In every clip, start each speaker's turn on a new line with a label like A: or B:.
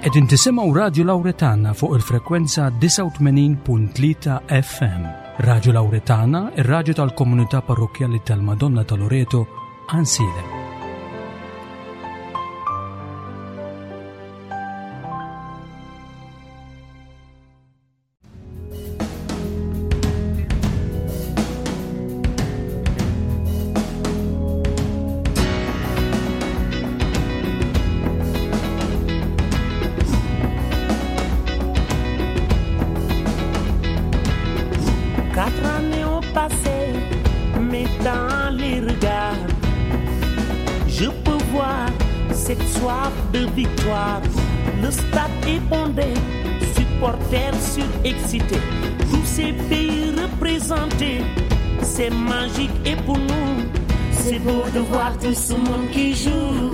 A: Qegħdin tisimgħu Radju Lawretana fuq il-frekwenza 89.3 FM. Radju Lawretana, ir-radju tal-komunità parrokkjali tal-Madonna ta' Loreto, Ansiedem.
B: Quatre années ont passé, mais dans les regards, je peux voir cette soif de victoire. Le stade est bondé, supporters surexcités, tous ces pays représentés. C'est magique et pour nous, c'est beau de voir tout ce monde qui joue.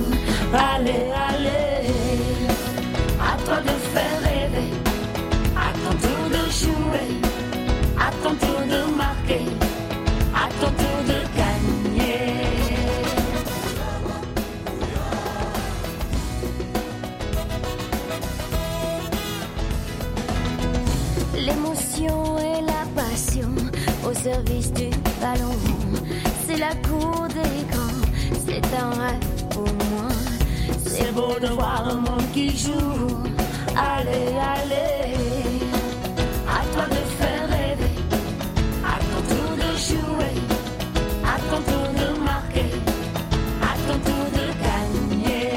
B: Allez, allez, à toi de faire rêver, à ton tour de jouer, à ton tour de marquer, à ton tour de gagner.
C: L'émotion et la passion au service du ballon. C'est la cour des grands, c'est un rêve pour moi.
B: C'est beau de voir un monde qui joue. Allez, allez, à toi de faire rêver, à ton tour de jouer, à ton tour de marquer, à ton tour de gagner.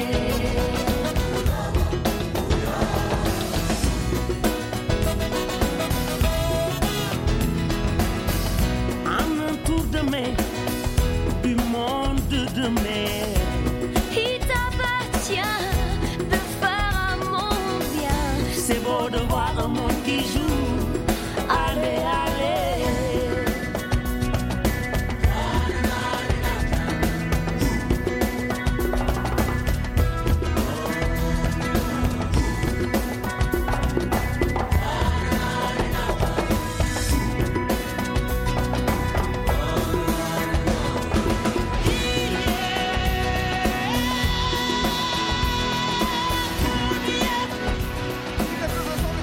B: En un tour de main, du monde de demain.
C: Il t'appartient de faire un monde bien.
B: C'est beau de voir un monde qui joue. Allez, allez.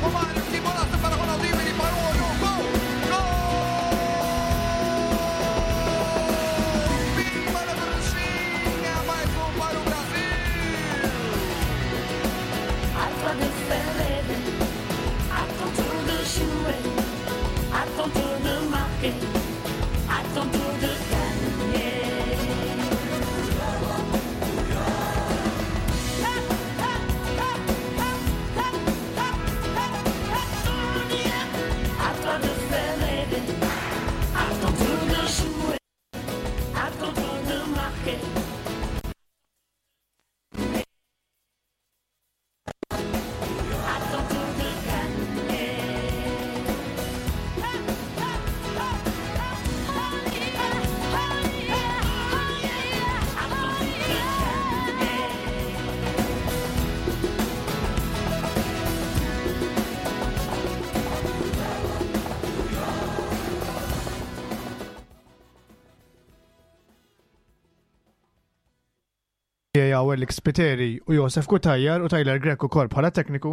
D: Romário, que bolaça para Ronaldinho, ele parou, olhou, gol! Gol! Pimba na bruxinha, mais um para o Brasil!
B: À toi de faire rêver, à ton tour de jouer, à ton tour de marquer, à ton tour de gagner. À toi de faire rêver, à ton tour de jouer, à ton tour de marquer. À ton tour de gagner.
E: Għaw Alex Spiteri u Josef Kutajjar u Tyler Grek ukoll bħala tekniku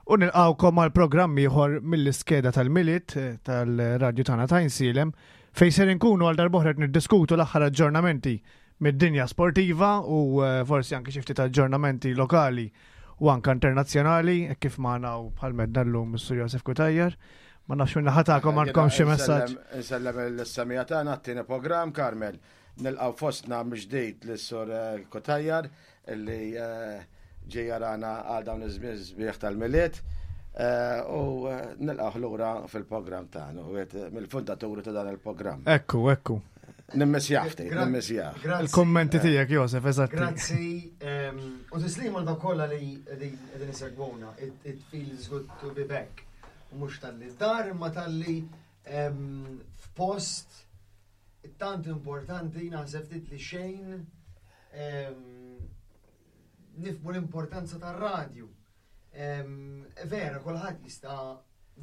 E: u nilqawkom għal programm ieħor mill-iskeda tal-Milied eh, tal-radju tagħna ta' Insilem fejn ser inkunu għal darb'oħra qed niddiskutu l-aħħar aġġornamenti mid-dinja sportiva u eh, forsi anke xi ftit aġġornamenti lokali u anke internazzjonali hekk kif magħna u bħal medna llum is-Sur Josef Kutajjar. Ma nafx minn naħa tagħkom għandkom xi messaġġ.
F: Insellem l-semija tagħna t-tieni programm Carmel. Nilqgħu fostna mill-ġdid lis-Sur eh, Kutajjar illi eh, ġej jarana għal dawn iż-żmien sbieħ tal-Milied. Eh, U nilqgħu lura fil-programm tagħna, u wieħed mill-fundaturi ta' dan il-programm.
E: Ekku, ekku.
F: Nimmissjah ftit, nimmissjah.
E: Il-kommenti tiegħek Josef, eżatti.
G: Grazzi. ehm, U tislim għal dawk kollha li qegħdin qegħdin isegwuna. It it feels good to be back. U mhux talli dar imma talli ehm, f'post tant importanti naħseb ftit li xejn ehm, nifhmu l-importanza tar-radju. Ehm, Vera, kulħadd jista'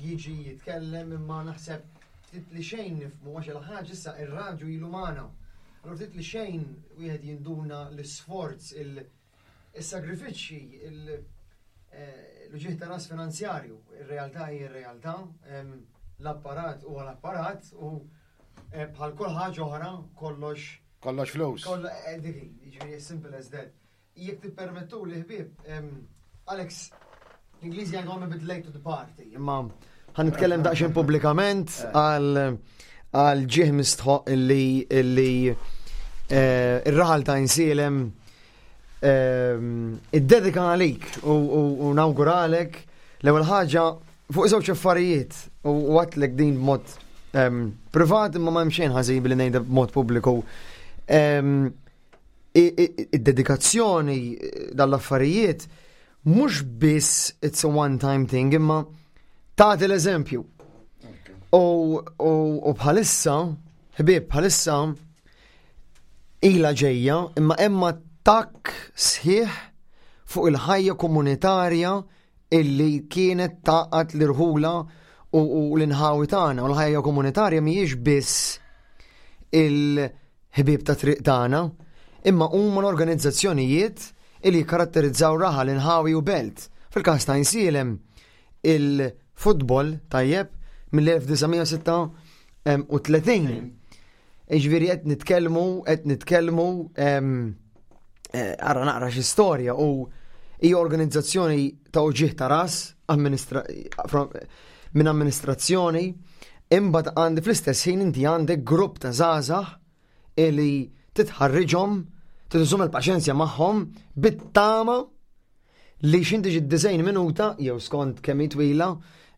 G: jiġi jitkellem imma naħseb ftit li xejn nifhmu għax il-ħaġa issa ir-radju ilu magħna. Allura ftit li xejn wieħed jinduna l-isforz, il-sagrifiċċji, il- L-uġigħ ta' ras finanzjarju, ir-realtà hi r-realtà, l-apparat huwa l-apparat u bħal kull ħaġa oħra kollox.
F: Kollox flus.
G: Dik hi, jiġifieri as simple as that. Jekk tippermettuli ħbieb, Alex, l-Ingliżi jgħidu I'm a bit late to the party, imma ħa nitkellem daqsxejn pubblikament għal għal ġieħ mistħoq illi illi ir-raħal ta' Insielem iddedika għalik u nawguralek l-ewwel ħaġa fuq żewġ affarijiet u għatlek din b'mod privat imma ma hemm xejn ħażin billi ngħidha b'mod pubbliku. Id-dedikazzjoni dal-affarijiet mhux biss it's a one time thing imma tagħti l-eżempju. U bħalissa, ħbieb, bħalissa ilha ġejja imma hemm attakk sħiħ fuq il-ħajja komunitarja illi kienet taqgħad l-irħula u l-inħawi tagħna. U l-ħajja komunitarja mhijiex biss il-ħbieb ta' triq tagħna, imma huma l-organizzazzjonijiet illi jikkaratterizzaw raħal, inħawi u belt. Fil-każ ta' Insielem, il-futbol tajjeb mill-1936. Iġviri qed nitkellmu, qed nitkellmu ara naqra xi storja u hija organizzazzjoni ta' uġigħ ta' ras minn amministrazzjoni, imbagħad għandi fl-istess ħin inti għandek grupp ta' żgħażagħ li titħarriġhom, titżomm il-paċenzja magħhom bit-tama li x'inti ġi 90 minuta jew skont kemm hi twila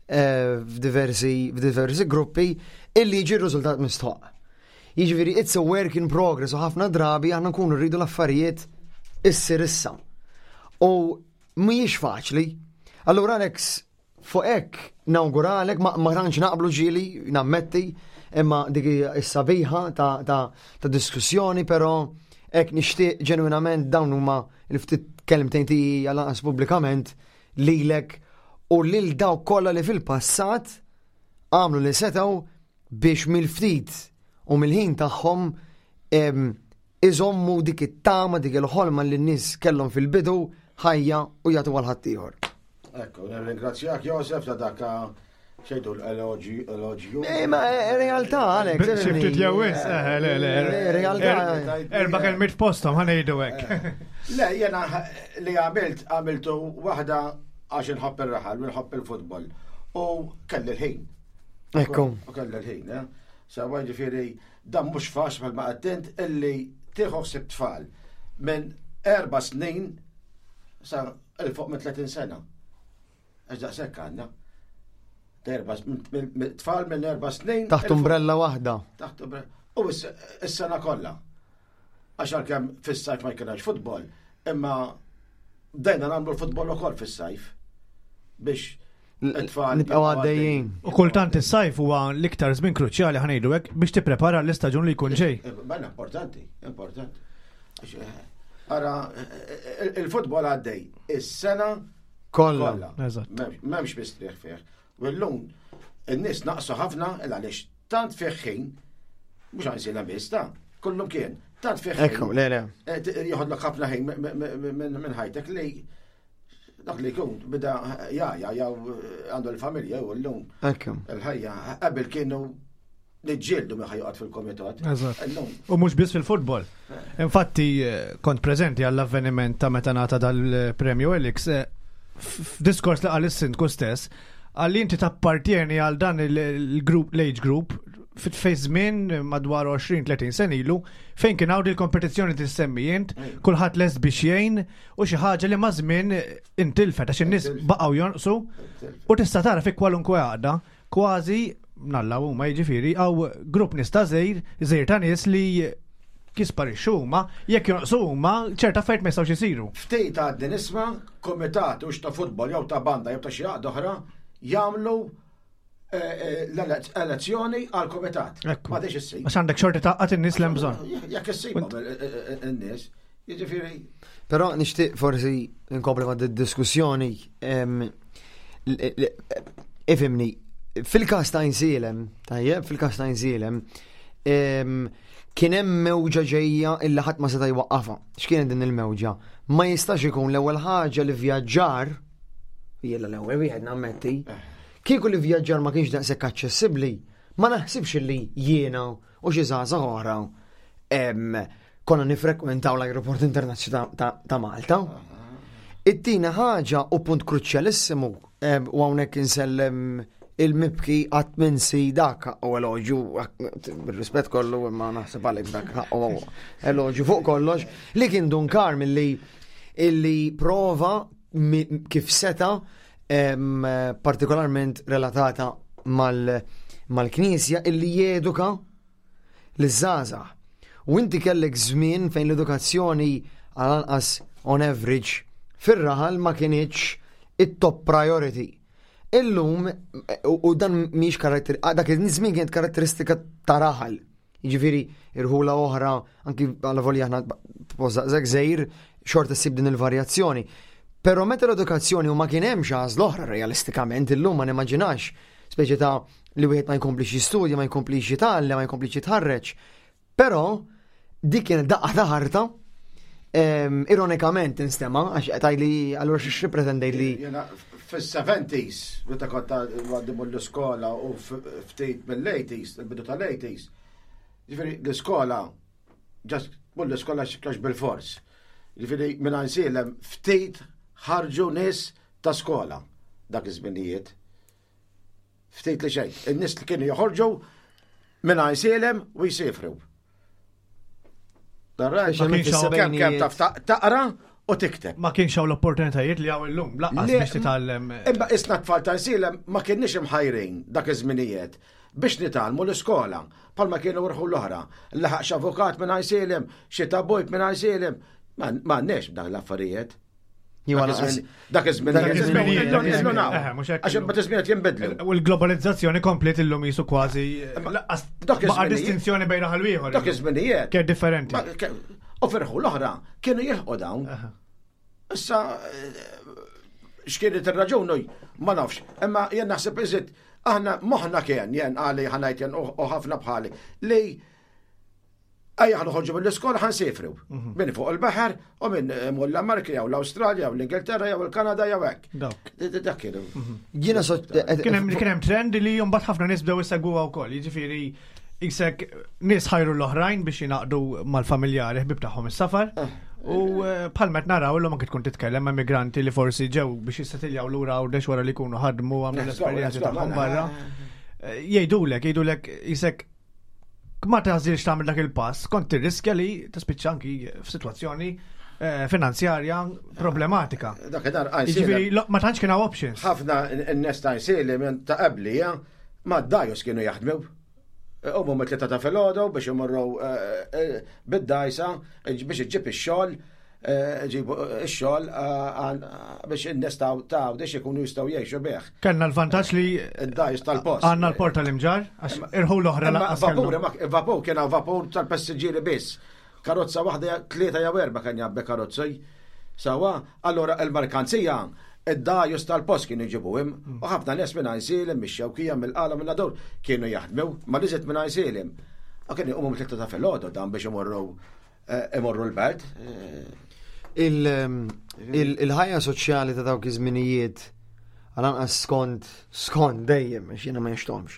G: f'diversi gruppi illi jiġi r-riżultat mistħoq. Jiġifieri it's a work in progress u ħafna drabi aħna nkunu rridu l-affarijiet issir issa. U mhijiex faċli. Allura Alex, fuq hekk nawguralek, ma tantx naqblu ġieli, nammetti, imma dik hija s-sabiħa ta' diskussjoni, però hekk nixtieq ġenwinament dawn huma l-ftit kelmtejn tiegħi għal anqas pubblikament lilek u lil dawk kollha li fil-passat għamlu li setgħu biex mill-ftit u mill-ħin tagħhom iżommu dik it-tama, dik il-ħolma li n-nies kellhom fil-bidu ħajja u jagħtu għal ħaddieħor.
F: Ekku, nirringrazzjak Josef ta' dak xejdu l-elogju.
G: Eh, ma eh, realtà, Alex.
E: Xi ftit jew wis, eh, le, le.
G: Realtà.
E: Erba' kelmiet f'posthom ħa ngħidu hekk.
F: Le, jena li għamilt, għamiltu waħda għax inħobb ir-raħal u nħobb il-futbol. U kelli l-ħin.
G: Ekku.
F: U kelli l-ħin, eh. Sawa ġifieri Dan mhux faċli bħalma għedt int illi tieħu ħsieb tfal minn erba' snin sa 'l fuq minn 30 sena. Għax daqshekk għandna. Tfal minn erba' snin.
G: Taħt umbrella waħda.
F: Taħt umbrella. U s-sena kollha. Għax għalkemm fis-sajf ma jkunx futbol, imma bdejna nagħmlu l-futbol ukoll fis-sajf biex it-tfal
G: Nibqgħu għaddejjin.
E: U kultant is-sajf huwa l-iktar żmien kruċjali ħa ngħidu hekk biex tipprepara l-istaġun li jkun ġej.
F: Eh, Bella importanti, importanti. Eh, ara, eh, il-futbol għaddej is-sena
G: kollha.
F: M'hemmx mistrieħ fih. U llum in-nies naqsu ħafna il għaliex tant fih ħin, mhux għanżilha biss ta' kullum kien, tant fih ħin.
G: Ekku, le, le.
F: Joħodlok ħafna ħin minn ħajtek li dak li jkun bida jaja jew għandu l-familja u llum.
G: Ekku.
F: Il-ħajja qabel kienu niġġieldu minn ħajoqgħod fil-komitat.
E: U mhux biss fil-futbol. Infatti eh, kont preżenti għall-avveniment ta' meta ngħata dal-premju Elix, eh, f'diskors li qal is-sindku stess, għalli inti tappartieni għal dan il-group, l-age group, fi żmien madwar 20-30 sen ilu, fejn kien hawn il-kompetizzjoni tissemmi int, kulħadd lest biex jgħin u xi ħaġa li ma' żmien intilfet għax in-nies baqgħu jonqsu u tista' tara fi kwalunkwe għaqda Kważi, mnalla huma jiġifieri, hawn grupp nies ta' żgħir, żgħir ta' nies li jisparixxu huma, jekk jonqsu huma, ċerta affarijiet ma jistgħux isiru.
F: Ftit għadni nisma' kumitat hux ta' futbol jew ta' banda jew ta' xi għaqda oħra jagħmlu l-elezzjoni għal kumitat. M'għadix issib.
E: Għax għandek xorti tgħaqqad in-nies li hemm bżonn.
F: Jekk issibhom in-nies, jiġifieri.
G: Però nixtieq forsi nkompli ma' diskussjoni Ifimni, fil-każ ta' Insielem, tajjeb, fil-każ ta' Insielem, kien hemm mewġa ġejja illi ħadd ma seta' jwaqqafha. X'kienet din il-mewġa? Ma jistax ikun l-ewwel ħaġa li vjaġġar Jiena l-ewwel wieħed nammetti. Kieku li vjaġġar ma kienx daqshekk aċċessibbli, ma naħsibx li jiena u xi żgħażagħ oħra konna nifrekwentaw l-ajruport internazzjonali ta' Malta. It-tieni ħaġa u punt kruċjalissimu u hawnhekk insellem il-mibki qatt minsi dak u eloġju, rispett kollu imma naħseb għalek dak u eloġju fuq kollox, li kien Dun Karm illi illi prova kif seta partikolarment relatata mal-knisja illi jeduka liż-żgħażagħ. U inti kellek żmien fejn l-edukazzjoni għal anqas on average fir-raħal ma kinitx it-top priority. Illum, u dan mhix karakter, dak iż-żmien kienet karatteristika ta' raħal. Jiġifieri irħula oħra, anki għal volja aħna post daqshekk żgħir, xorta ssib din il-varjazzjoni. Però meta l-edukazzjoni u ma kien hemmx għażla oħra realistikament illum ma nimmaġinax speċi ta' li wieħed ma jkomplix jistudja, ma jkomplix jitgħallem, ma jkomplix jitħarreġ. Però dik kienet daqqa ta' ħarta ironikament instema, għax qed li allura xi pretendejt li.
F: Fis-70s, meta kont għaddi l-iskola u ftit mill-80s, il-bidu tal-80s, ġifieri l-iskola, ġast mur l-iskola x'kax bil-fors. Ġifieri minn Għajnsielem ftit ħarġu nies ta' skola dak iż-żminijiet. Ftit li xejn. In-nies li kienu joħorġu minn Għajnsielem u jsifru. Kemm kemm taf taqra u tikteb.
E: Ma kienx hawn l-opportunitajiet li hawn illum, lanqas biex titgħallem.
F: Imma isna tfal ta' Għajnsielem ma kienniex imħajrin dak iż-żminijiet biex nitgħallmu l-iskola bħalma kienu rħu l-oħra. Laħaq x'avukat minn Għajnsielem, xi tabib minn Għajnsielem. Ma għandniex dawn l-affarijiet. Dak iż-żmien. Dak iż-żmien. Għax ma tiżmien jinbidlu.
E: U l-globalizzazzjoni komplet illum jisu kważi baqa' distinzjoni bejn raħal ieħor.
F: Dak iż-żminijiet.
E: Kien differenti.
F: U ferħu l-oħra kienu jilħqu dawn. Issa x'kienet ir-raġuni ma nafx. Imma jien naħseb iżid aħna moħħna kien jien għali ħanajt jien u ħafna bħali li Ejja ħa noħorġu mill-iskola ħa nsifru. Mhm. Min fuq il-baħar u minn eh, mur l-Amerika jew l-Awstralja jew l-Ingilterra jew il-Kanada jew hekk. Dak kienu.
E: Mhm. Jiena sot. Eh, kien hemm trend li mbagħad ħafna nies bdew isegwuha wkoll, jiġifieri jisek nies ħajru l-oħrajn biex jingħaqdu mal-familjari ħbib tagħhom is-safar. Eh. U bħal meta naraw illum anke tkun titkellem ma' migranti li forsi ġew biex jissetiljaw lura għawdex wara li jkunu ħadmu għamlu l-esperjenzi tagħhom barra. Jgħidulek, jgħidulek jisek ma tażilx tagħmel dak il-pass, kont tirriskja li tispiċċa anki f'sitwazzjoni eh, finanzjarja problematika.
F: Dak id-dar
E: Jiġifieri ma tantx kien hawn options.
F: Ħafna n-nies ta' jsili minn ta' qabli, eh, ma dajus kienu jaħdmu. Umu mit-tlieta ta' filgħodu biex imorru eh, bid-dajsa biex iġġib ix-xogħol Eh, ġibu eh, x-xogħol eh, biex in-nies ta' għawdex ikunu jistgħu jgħixu bih.
E: Kellna l-vantaġġ li
F: id-dajs tal-post.
E: Għandna l-port tal-imġar, għax irħu l-oħra
F: lanqas. Vapur, vapur kien hawn vapur tal-passiġġieri biss. Karozza waħda tlieta jew erba' kien jabbe karozzi. Sawa, allora il-merkanzija id-dajus tal-post kienu jġibuhom mm. u ħafna nies minn Għajnsielem, mix-Xewkija, mill-Qala, minn Nadur kienu jaħdmu, ma liżet minn Għajnsielem. U kienu jqumu mit-tlieta ta' filgħodu dan biex imorru Eh, imorru l-belt. Eh.
G: Il-ħajja soċjali ta' dawk iż-żminijiet għal-anqas skont, skont dejjem, għax jiena ma jixtomx,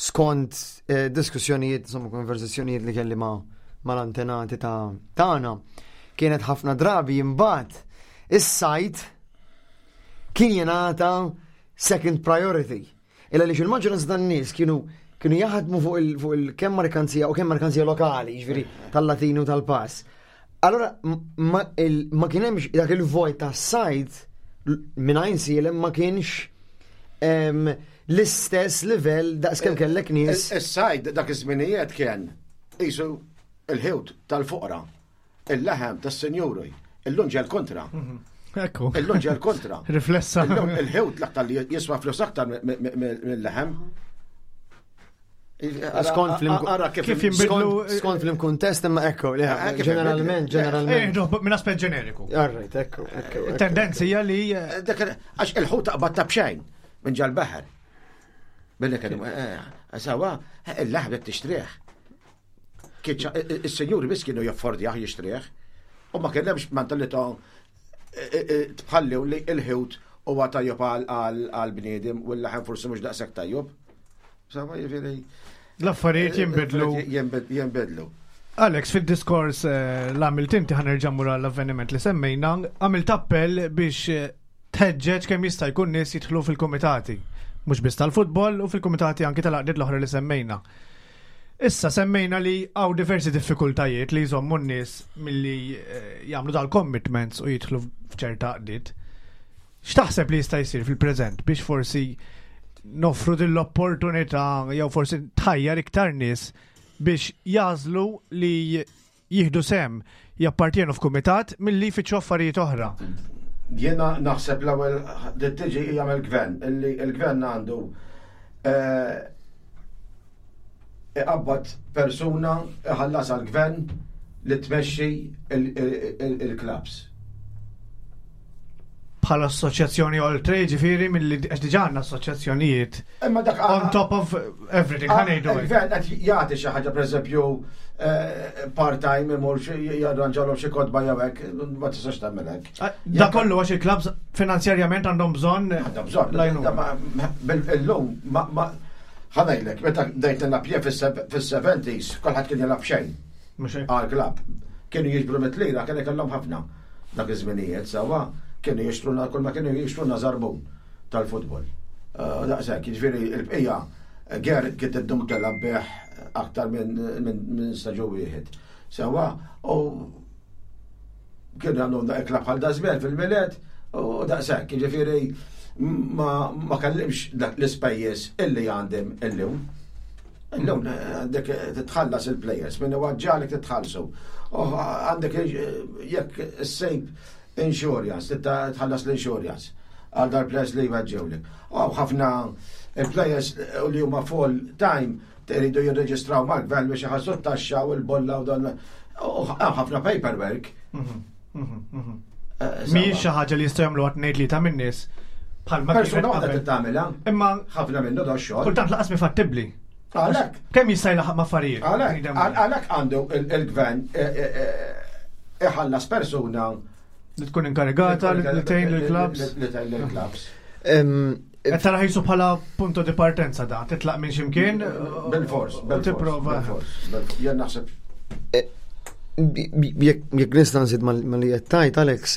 G: skont eh, diskussjonijiet, insomma, konversazzjonijiet li kelli ma' mal-antenati ta' tagħna, kienet ħafna drabi imbagħad is-sajt kien jingħata second priority. Illa li il-maġġoranza tan-nies kienu kienu jaħdmu fuq il, fuq il kemm merkanzija u kemm merkanzija lokali, jiġifieri tal-Latinu tal-pass. Allora ma, il, ma kien hemmx dak il-vojt tas-sajt minn Għajnsielem ma kienx l-istess livell daqs kemm kellek nies.
F: Is-sajd dak iż-żminijiet kien qisu il-ħiwt tal-foqra. Il-laħam tas-sinjuri, illum ġel kontra. Mhm.
E: Ekku.
F: Illum ġel kontra.
E: Riflessa.
F: Illum il-ħewt l-aktar li jiswa flus aktar mill-laħam.
G: Skont
E: kif jinbidlu.
G: Skont fl-kuntest imma ekku, eh, ġeneralment, ġeneralment.
E: Eh, minn aspett ġeneriku.
G: Alright, ekku,
E: ekku. Tendenzi li.
F: Eh, għax il-ħut taqbad ta' bxejn minn ġal-baħar. Billi kienu, sawa, il-laħam tixtrih. Is-senjuri biss kienu jaffordjah jixtrih. U ma kien hemmx mentalità tbħalli li l-ħut huwa tajjeb għall-bniedem u l-laħem forsi mhux daqshekk tajjeb. Sama jiġifieri.
E: L-affarijiet jinbidlu.
F: Jinbidlu.
E: Alex, fil-diskors eh, l-għamilt inti ħanerġa' mur għall-avveniment li semmejna, għamilt appell biex eh, tħeġġeġ kemm jista' jkun nies jidħlu fil-kumitati, mhux biss tal-futbol u fil-kumitati anki tal-għaqdiet l-oħra li semmejna. Issa semmejna li hawn diversi diffikultajiet li jżommu n-nies milli eh, jagħmlu dal-commitments u jidħlu f'ċerta għaqdiet. X'taħseb li jista' jsir fil-preżent biex forsi noffru din l-opportunità jew forsi tħajjar iktar nies biex jagħżlu li jieħdu sehem, jappartjenu f'kumitat milli jfittxu affarijiet oħra.
F: Jiena naħseb l-ewwel li tiġi hija mill-gvern, illi l-gvern għandu eh, iqabbad persuna iħallas għall-gvern li tmexxi il-klabs.
E: Bħala assoċjazzjoni oltre, ġifieri milli għax diġà għandna assoċjazzjonijiet.
F: Imma dak
E: on top of everything ħa ngħidu.
F: Il-gvern qed jagħti xi ħaġa pereżempju eh, part-time imur jarranġalhom xi kotba jew hekk, ma tistax tagħmel hekk.
E: Ah, da kollu għax il-klabs finanzjarjament għandhom bżonn.
F: Għandhom bżonn. Illum ma ħanajlek, meta bdejt nilgħab jien fis-70s, kulħadd kien jilgħab xejn. Għal klab. Kienu jiġbru mit-lira, kien ikollhom ħafna dak iż-żminijiet sewwa, kienu jixtruna kull ma kienu jixtruna żarbun tal-futbol. Eh, daqshekk, jiġifieri l-bqija eh, ger kien tiddum telab bih aktar minn staġun wieħed. Sewwa, u kienu għandhom da ikla bħal dażmel fil-miliet u daqshekk, jiġifieri ma kellimx dak l-ispejjeż illi għandhom illum. Illum eh, għandek titħallas il-players, minn għagġalik titħallsu. Għandek jekk s-sejb insurance, tħallas l-insurance għal dar players li jweġġewlek. U ħafna il-players li huma full time iridu jirreġistraw mal-gvern biex iħallsu t-taxxa u l-bolla u dan. U ħafna paperwork.
E: Mhm, mhm, mhm. Eh, Mhijiex xi ħaġa li jistgħu jagħmlu għat ngħid li ta' min-nies
F: bħal Persuna waħda tagħmilha.
E: Imma
F: ħafna minnu da xogħol.
E: Kultant laqas mi fattibbli.
F: Għalhekk.
E: Kemm jista' jlaħaq ma' affarijiet?
F: Għalhekk għandu il-gvern eh, eh, iħallas persuna
E: li tkun inkarigata li tgħin lill-klabs.
F: Li tgħin lill-klabs.
E: Qed tara ħisu bħala punto di partenza da, titlaq minn ximkien.
F: Bil-fors,
E: tipprova.
F: Jien naħseb.
G: Eh, jekk nista' nżid ma li qed tajt Alex,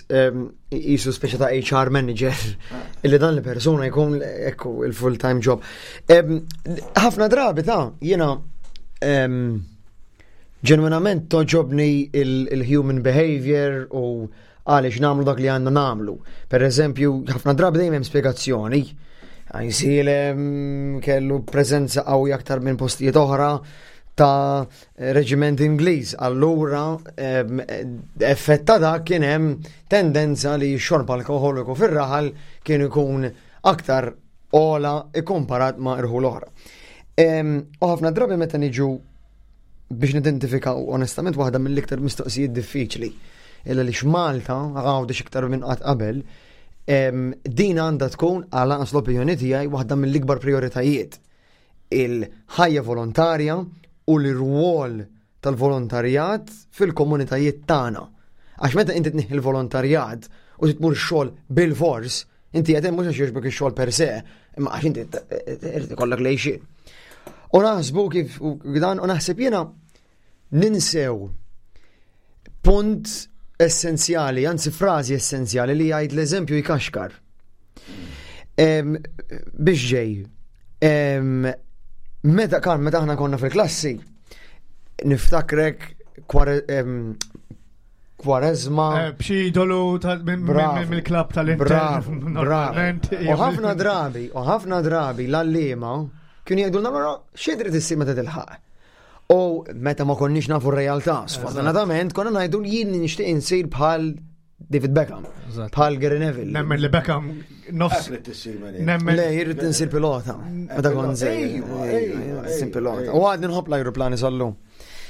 G: jisu speċa ta' HR manager ah. illi dan li persuna jkun ekku il-full time job. Ħafna drabi ta' jiena ġenwinament toġobni il-human behavior u għaliex namlu dak li għandna namlu. Per eżempju, ħafna drabi dejjem hemm spjegazzjoni. Għajsilem kellu preżenza qawwi aktar minn postijiet oħra ta' reġiment Ingliż. Allura, effett ta' dak kien hemm tendenza li x-xorb alkoholiku fir-raħal kien ikun aktar ola ikkomparat ma' irħul oħra. U ħafna drabi meta niġu biex nidentifikaw onestament waħda mill-iktar mistoqsijiet diffiċli illa li x'Malta għawdex iktar minn qatt qabel din għandha tkun għal anqas l-opinjoni tiegħi waħda mill-ikbar prioritajiet il-ħajja volontarja u l-irwol tal-volontarjat fil-komunitajiet tagħna. Għax meta inti tnieħi l-volontarjat u tmur xogħol bil-fors, inti qed mhux għax jogħġbok ix-xogħol per se, imma għax inti irid ikollok lejxin. U naħsbu kif dan u naħseb jiena ninsew punt essenzjali, anzi frażi essenzjali li jgħid l-eżempju jkaxkar. Biex ġej, meta kan meta aħna konna fil-klassi, niftakrek kwarezma.
E: Eh, b'xi idolu mill-klab tal-Inter.
G: Bravo. U ħafna drabi, u ħafna drabi l-allima kienu jgħidu l xi trid issir meta tilħaq. U meta ma konniex nafu r-realtà, sfortunatament konna ngħidu jien nixtieq insir bħal David Beckham, bħal Gary Neville.
E: Nemmen li Beckham nofs.
G: Nemmen. Le, jirrid insir pilota. Meta kont żgħir. Insir pilota. U għadni nħobb l-ajruplani sal-lum.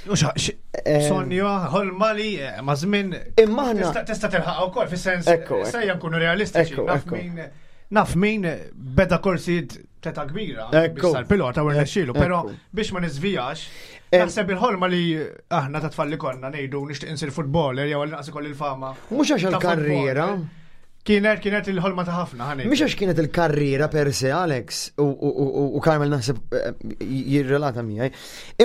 E: Eh, Sonja, ħolma li eh, ma' żmien.
G: Imma aħna.
E: Tista' tilħaq ukoll fis-sens. Sejja nkunu realistiċi. Naf min beda korsijiet teta kbira.
G: Ekku.
E: Sar pilota u rnexxielu, però biex ma niżvijax, naħseb il-ħolma li aħna ta' tfal li konna ngħidu nixtieq insir futboler jew għal naqs ikolli l-fama.
G: Mhux għax għall-karriera.
E: Kienet il-ħolma ta' ħafna, ħani.
G: Mhix għax kienet il-karriera per se, Alex, u Carmel naħseb jirrelata miegħi,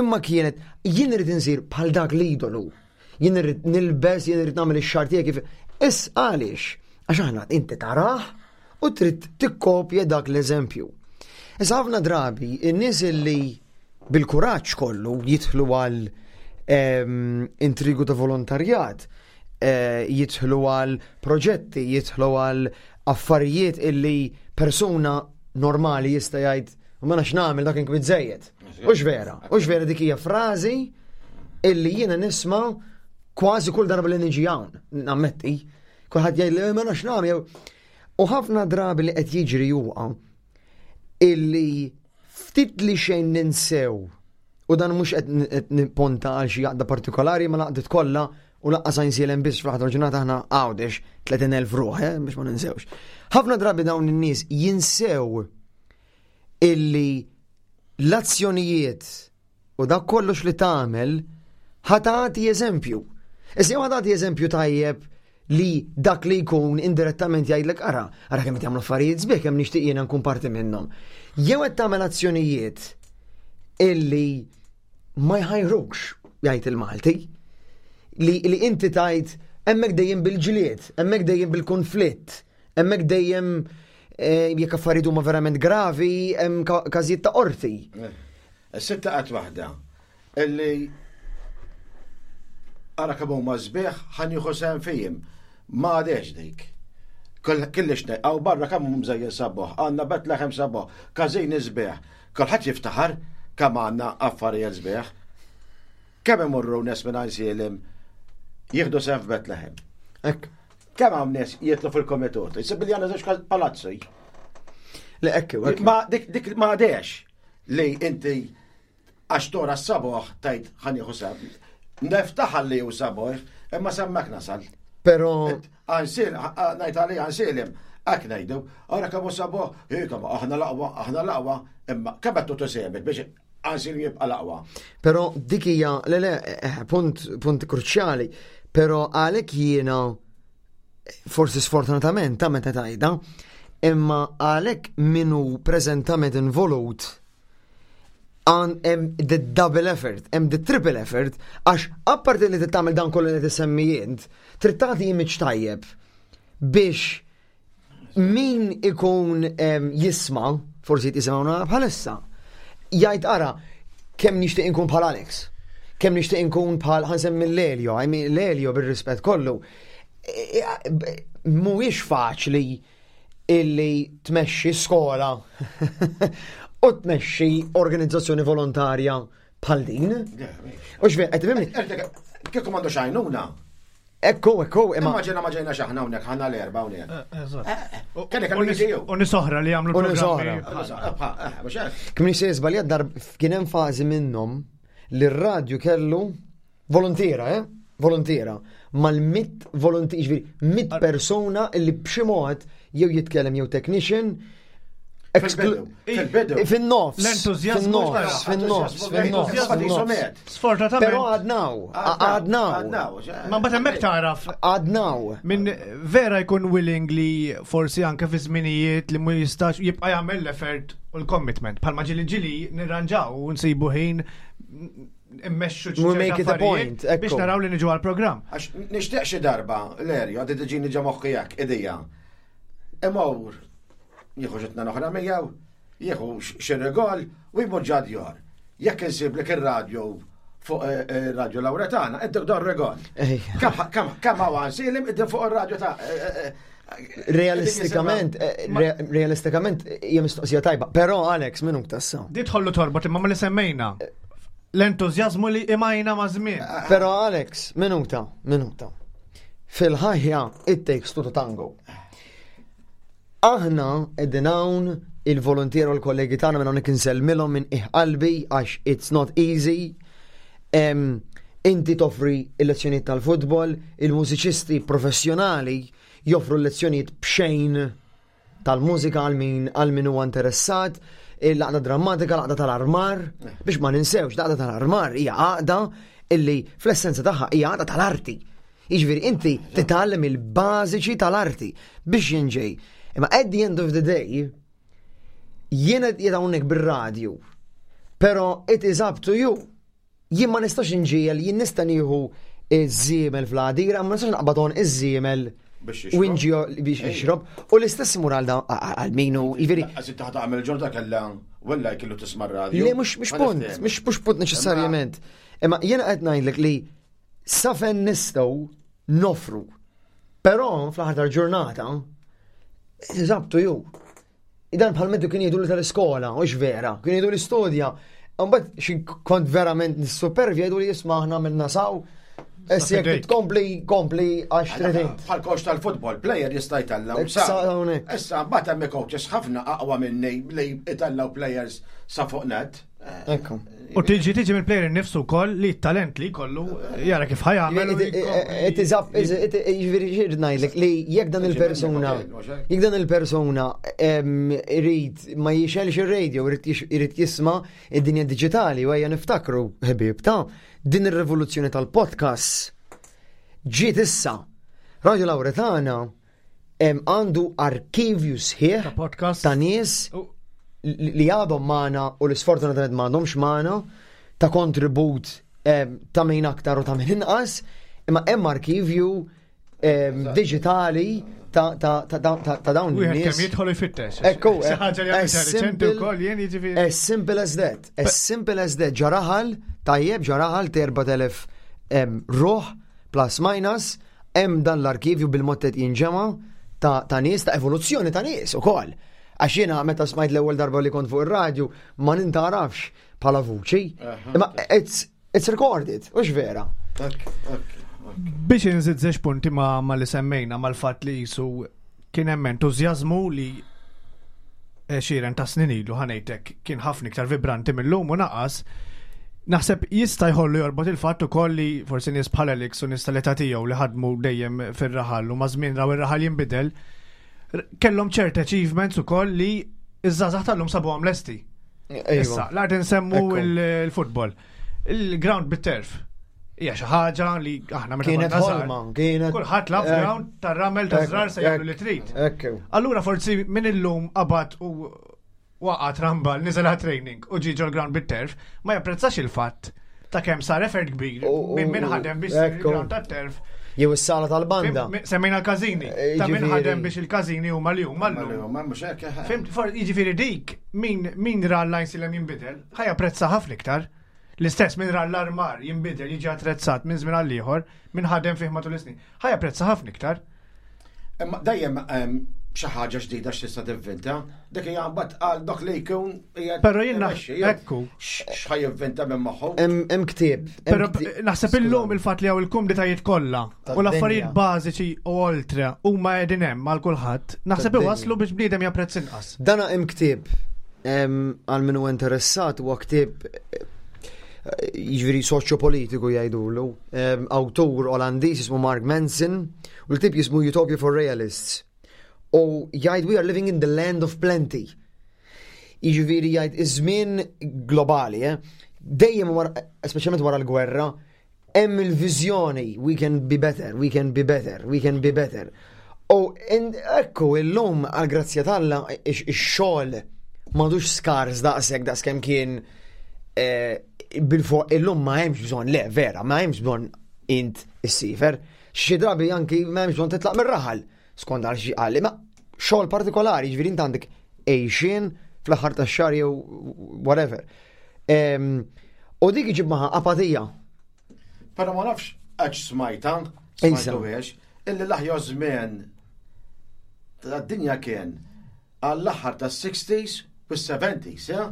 G: imma kienet jien irid insir bħal dak l-idolu. Jien irrid nilbes, jien irrid nagħmel ix-xagħar tiegħi kif. Is għaliex? Għax aħna inti tarah u trid tikkopja dak l-eżempju. Issa ħafna drabi in-nies illi bil-kuraġġ kollu jidħlu għal intrigu ta' volontarjat, jidħlu għal proġetti, jidħlu għal affarijiet illi persuna normali jista' jgħid ma nafx nagħmel dak inkwiet żejjed. Hux vera, hux vera dik hija frażi illi jiena nisma' kważi kull darba li niġi hawn, nammetti. Kulħadd jgħid li ma nafx nagħmel. U ħafna drabi li qed jiġri huwa illi ftit li xejn ninsew u dan mhux qed nipponta għal xi għaqda partikolari ma laqdiet kollha u laqqas Għajnsielem biss fl-aħħar ġurnata aħna Għawdex 30,000 ruħ, biex ma ninsewx. Ħafna drabi dawn in-nies jinsew illi l-azzjonijiet u dak kollox li tagħmel ħa tagħti eżempju. Issa jew ħa tagħti eżempju tajjeb li dak li jkun indirettament jgħidlek ara, ara kemm qed jagħmlu affarijiet sbieħ kemm nixtieq jiena nkun parti minnhom. Jew qed tagħmel azzjonijiet illi ma jħajrukx, jgħid il-Malti, li inti tgħid hemmhekk dejjem bil-ġlied, hemmhekk dejjem bil-konflitt, hemmhekk dejjem jekk affarijiet huma verament gravi, hemm każijiet ta' qorti.
F: Is-sitta qatt waħda illi ara kemm huma sbieħ ħa nieħu sehem fihim. Ma għadhiex dik. Kullix ngħid, barra kemm hum mżejjen sabuħ, għandna Bethlehem sabuħ, każini sbieħ. Kulħadd jiftaħar kemm għandna affarijiet sbieħ. Kemm imorru nies minn Għajnsielem jieħdu sehem f'Bethlehem.
G: Hekk.
F: Kemm hawn nies jitlu fil-komitat. Isib li għandna żewġ palazzi.
G: Le hekk, hekk.
F: Ma dik ma għadhiex li inti għax tora s-saboħ tajt ħa nieħu sehem. Niftaħar li hu saboħ, imma s'hemmhekk nasal.
G: Pero
F: Għajnsielem, ngħid għalija Għajnsielem, hekk ngħidu, ara kemm hu saboħ, hi kemm aħna l-aqwa, aħna l-aqwa, imma kemm qed tagħtu sehmek biex Għajnsielem jibqa' l-aqwa.
G: Pero dik hija, le le, punt kruċjali, pero għalhekk jiena forsi sfortunatament ta' meta tajda, imma għalhekk minu preżentament involut għan hemm the double effort, hemm the triple effort, għax apparti li tagħmel dan kollu li tisemmi int, trid tagħti image tajjeb biex min ikun jisma', forsi jisimgħuna bħalissa, jgħid ara kemm nixtieq inkun bħal Alex, kemm nixtieq inkun bħal ħa nsemmi l-Elio, I mean l-Elio bir-rispett kollu. Mhuwiex faċli illi tmexxi skola u tmexxi organizzazzjoni volontarja bħal din. U x'vera, qed tifhimni?
F: Kieku m'għandu xajnuna.
G: Ekku, ekku, imma.
F: Immaġina ma ġejna xaħna hawnhekk, ħana l-erba' hawnhekk.
E: Eżatt.
F: Kellek kellu jiġi jew.
E: U nies oħra li jagħmlu
G: U nies oħra.
E: programmi.
F: Mhux hekk.
G: Kif nixtieq żbaljat dar kien hemm fażi minnhom li r-radju kellu volontiera, eh? Volontiera. Mal-100 volontier, ġifieri 100 persuna li b'xi mod jew jitkellem jew technician.
F: Fil-bidu. Fil-bidu.
G: Fin-nofs.
E: L-entużjażmu
G: Fin-nofs, fin-nofs, fin-nofs,
F: L-entużjażmu
G: fin-nofs.
E: Sfortunatament.
G: Però għadnaw, għadnaw.
F: Għadnaw.
E: Ma mbagħad hemmhekk taraf
G: Għadnaw.
E: Min vera jkun willing li forsi anke fi żminijiet li mu jistax jibqa' jagħmel l-effort u l-commitment. Bħalma ġili ġili nirranġaw u nsibu ħin immexxu
G: We make it a point, ekku.
E: biex naraw li niġu għall-programm.
F: Għax nixtieq xi darba, l-erju, għadi tiġini ġa moħħi hekk, idea. Imur, jieħu xi tnejn oħra miegħu, jieħu xi rigol u jmur ġa djar. Jekk insib lek ir-radju fuq radio Lauretana, intik dan rigol.
G: Ej.
F: Kemm hawn Għajnsielem id fuq ir-radju ta'
G: Realistikament, realistikament hija mistoqsija tajba. Però Alex, minuk tassa.
E: Di tħollu torbot imma ma li semmejna. L-entużjażmu li imajna ma' żmien.
G: Però Alex, minuta, minuta. Fil-ħajja, it takes two to tango. Aħna qegħdin hawn il-volontier u l-kollegi tagħna minn hawnhekk insellmilhom minn qiegħ qalbi għax it's not easy. Inti toffri il-lezzjonijiet tal-futbol, il-mużiċisti professjonali joffru l-lezzjonijiet b'xejn tal-mużika għal min huwa interessat, l-għaqda drammatika, l-għaqda tal-armar, biex ma ninsewx, l-għaqda tal-armar hija għaqda illi fl-essenza tagħha hija għaqda tal-arti. Jiġifieri inti titgħallem il-bażiċi tal-arti biex jinġej. Imma at the end of the day, jiena qed hawnhekk bir-radju, però it is up to you. Jien ma nistax inġiegħel, jien nista' nieħu iż-żiemel fl-għadira, ma nistax naqbad għonq iż-żiemel u inġiegħel biex jixrob. U l-istess imur għal dawn, għal min hu, jiġifieri.
F: Lanqas inti ħa tagħmel ġorta kellha wella jkellu tisma' r-radju.
G: Le mhux punt, mhux punt neċessarjament. Imma jiena qed ngħidlek li sa fejn nistgħu nofru. Però fl-aħħar tal-ġurnata, it is up to you. Dan bħal meddu kien jgħidu li tal-iskola, u vera, kien jgħidu li studja. Mbagħad xi kont verament nissupervja jgħidu li jisma' aħna minna saw. Issa jekk tkompli, kompli għax trid int.
F: Bħal coach tal-futbol, player jista' jtellgħu sa. Issa mbagħad hemm coaches ħafna aqwa minni li jtellgħu players sa fuq net.
G: Ekku.
E: U tiġi tiġi mill-player nifsu wkoll li t-talent li jkollu jara kif ħajamel.
G: Jiġifieri xi ngħidlek li jekk dan il-persuna jekk dan il-persuna irid ma jixelx ir-radio, irid jisma' id-dinja diġitali u ejja niftakru ħbieb ta' din ir-rivoluzzjoni tal-podcast ġiet issa. Radio Lauretana għandu arkivju sħiħ ta' nies li għadhom magħna u li sfortunatament m'għadhomx magħna ta' kontribut ta' min aktar u ta' min inqas, imma hemm arkivju digitali ta' dawn
E: nies. Kemm jidħol ifittex.
G: Ekku, as simple as that. As simple as that. Ġaraħal, tajjeb, ġaraħal 4000 ruħ plus minus Hemm dan l-arkivju bil-mod qed jinġema' ta' ta' nies, ta' evoluzzjoni ta' nies ukoll. Għax jiena meta smajt l-ewwel darba li kont fuq ir-radju ma nintgħarafx bħala vuċi. Imma it's, it's recorded, hux vera.
E: Biex inżid żewġ punti ma, ma li semmejna mal-fatt li jisu kien hemm entużjażmu li għexieren ta' snin ilu ħanejtek kien ħafna iktar vibranti mill-lum u naqas. Naħseb jista' jħollu jorbot il-fatt ukoll li forsi nies bħal Alex u nies tal-età tiegħu li ħadmu dejjem fir-raħal u ma' żmien raw ir-raħal jinbidel, kellhom ċert achievements ukoll li iż-żgħażagħ tal-lum sabuhom lesti. Issa, l-art insemmu il-futbol. Il-ground bit-terf. Hija xi ħaġa li aħna meta
G: kienet ħolma, kienet.
E: Kulħadd laf eh. ground tar-ramel ta' żrar se jagħmlu li trid. Allura forsi minn illum qabad u waqgħat rambal niżel training u ġie ġol-ground bit-terf ma japprezzax il-fatt ta' kemm sar effort kbir minn min ħadem biex il-ground tat-terf.
G: Jew is-sala tal-banda.
E: Semmejna l-każini. Eh, ta' min ħadem biex il-każini huma li huma llum.
F: Eh.
E: Fimt, jiġifieri dik min min ra l-lajn silem jinbidel, ħa japprezza ħafna iktar. L-istess min ra l-armar jinbidel jiġi attrezzat minn żmien għal ieħor, min ħadem fih matul is-snin, ħa japprezza ħafna iktar.
F: Imma dejjem xi ħaġa ġdida x'tista' tivvinta, dik hija mbagħad għal dak li jkun
E: hija. Però jien ekku.
F: X'ħa jivvinta minn moħħu.
G: Hemm ktieb.
E: Però naħseb illum il-fatt li hawn il-kumditajiet kollha u l-affarijiet bażiċi u oltre huma qegħdin hemm għal kulħadd, naħseb iwasslu biex bniedem japprezz inqas.
G: Dana hemm ktieb għal min huwa interessat huwa ktieb jiġifieri soċjopolitiku jgħidulu, awtur Olandiż jismu Mark Manson u l-ktieb jismu Utopia for Realists. U jgħid we are living in the land of plenty. Jiġifieri jgħid iż-żmien globali, eh? dejjem speċjalment wara l-gwerra, hemm il-viżjoni we can be better, we can be better, we can be better. U ekku illum għal grazzja t'Alla ix-xogħol m'għadux skars daqshekk daqs kemm kien eh, bil-fuq illum ma hemmx bżonn, le vera, ma hemmx bżonn int issifer. Xi drabi anki ma hemmx bżonn titlaq mir-raħal skont għal xi qal, imma xogħol partikolari, jiġifieri int għandek għejxien fl-aħħar tax-xahar jew whatever. U dik iġib maħa apatija.
F: Pero ma nafx għax smajta, smajtu biex, illi l-aħjar żmien tad-dinja kien għall-aħħar tas-60s u s-70s,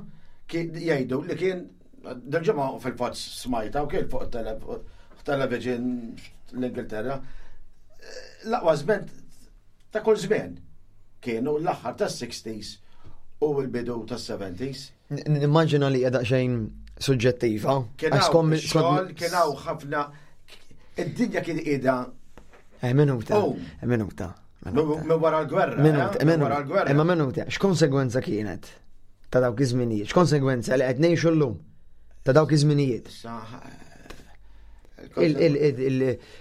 F: jgħidu li kien dil-ġimgħa fil-fatt smajta u kien fuq television l-Ingilterra, l-aqwa żmien ta' kull żmien kienu l-aħħar tas-60s u l-bidu tas-70s.
G: Nimmaġina li hija daqsxejn suġġettiva.
F: Kien hawn xogħol, kien hawn ħafna id-dinja kien qiegħda.
G: Eh, minuta. Oh. Eh, minuta.
F: Minn wara l-gwerra.
G: Minuta, eh, minuta. Imma minuta, x'konsegwenza kienet ta' dawk iż-żminijiet? X'konsegwenza li qed ngħixu llum ta' dawk iż-żminijiet?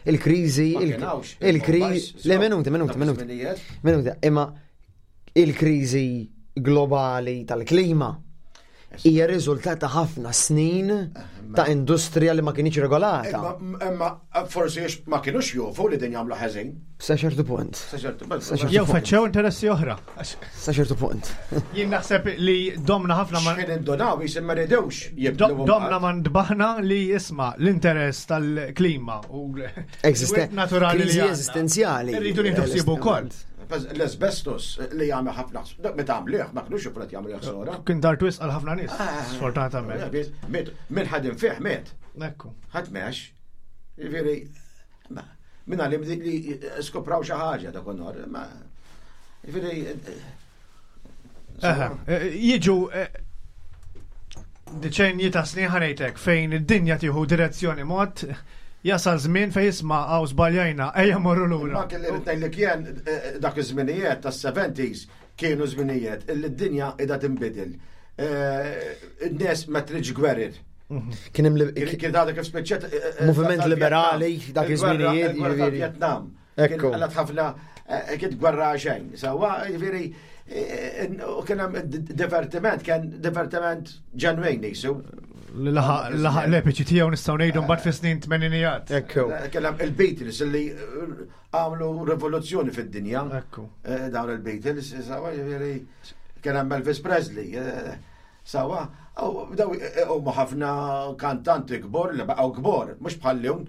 G: Il-kriżi, il-kriżi, le minuti, minuti, minuti. Minuti, imma il-kriżi globali tal-klima hija riżultat ta' ħafna snin ta' industrija li ma kienx regolata.
F: Imma forsi ma kienux jofu li din jagħmlu ħażin.
G: Sa ċertu punt.
F: Sa ċertu punt.
E: Jew feċċew interessi oħra.
G: Sa ċertu punt.
E: Jien naħseb li domna ħafna
F: ma. Xħin indonaw jisim ma ridewx
E: jibdlu. Domna ma ndbaħna li jisma l-interess tal-klima u
G: naturali li eżistenzjali.
E: Irridu nieħdu ħsiebu wkoll.
F: L-asbestos li jagħmel ħafna meta għamlih, ma kinux jifret jagħmel ħsora.
E: Kien dar twis għal ħafna nies, ah, sfortunatament.
F: Min ħadem fih miet.
E: Ekku.
F: Ħadd mex. Jiġifieri, minn għalim li skopraw xi ħaġa dak nhar, ma jiġifieri
E: eh, jiġu eh, deċenji ta' snin ħanejtek fejn id-dinja tieħu direzzjoni mod jasal żmien fejn jisma' għaw żbaljajna ejja morru lura.
F: Ma kelli rid ngħidlek jien eh, dak iż-żminijiet tas-70s kienu żminijiet illi d-dinja qiegħda tinbidel. In-nies ma tridx gwerer.
G: Kien hemm
F: kien għadha kif spiċċet eh,
G: eh, moviment liberali dak iż-żminijiet
F: jiġifieri. Vietnam. Ekku. Għallat ħafna eh, kien gwerra xejn. Sawa, jiġifieri u kien hemm divertiment, kien divertiment ġenwejn jisu.
E: Laħaq l-epiċi tiegħu nistgħu ngħidu mbagħad fi snin tmeninijat.
G: Ekku.
F: Kien hemm il-Beatles li għamlu rivoluzzjoni fid-dinja.
E: Ekku.
F: Dawn il-Beatles, sawa, jiġifieri kien hemm Elvis Presley. Sawa, u daw huma ħafna kantanti kbor li baqgħu kbor, mhux bħal llum.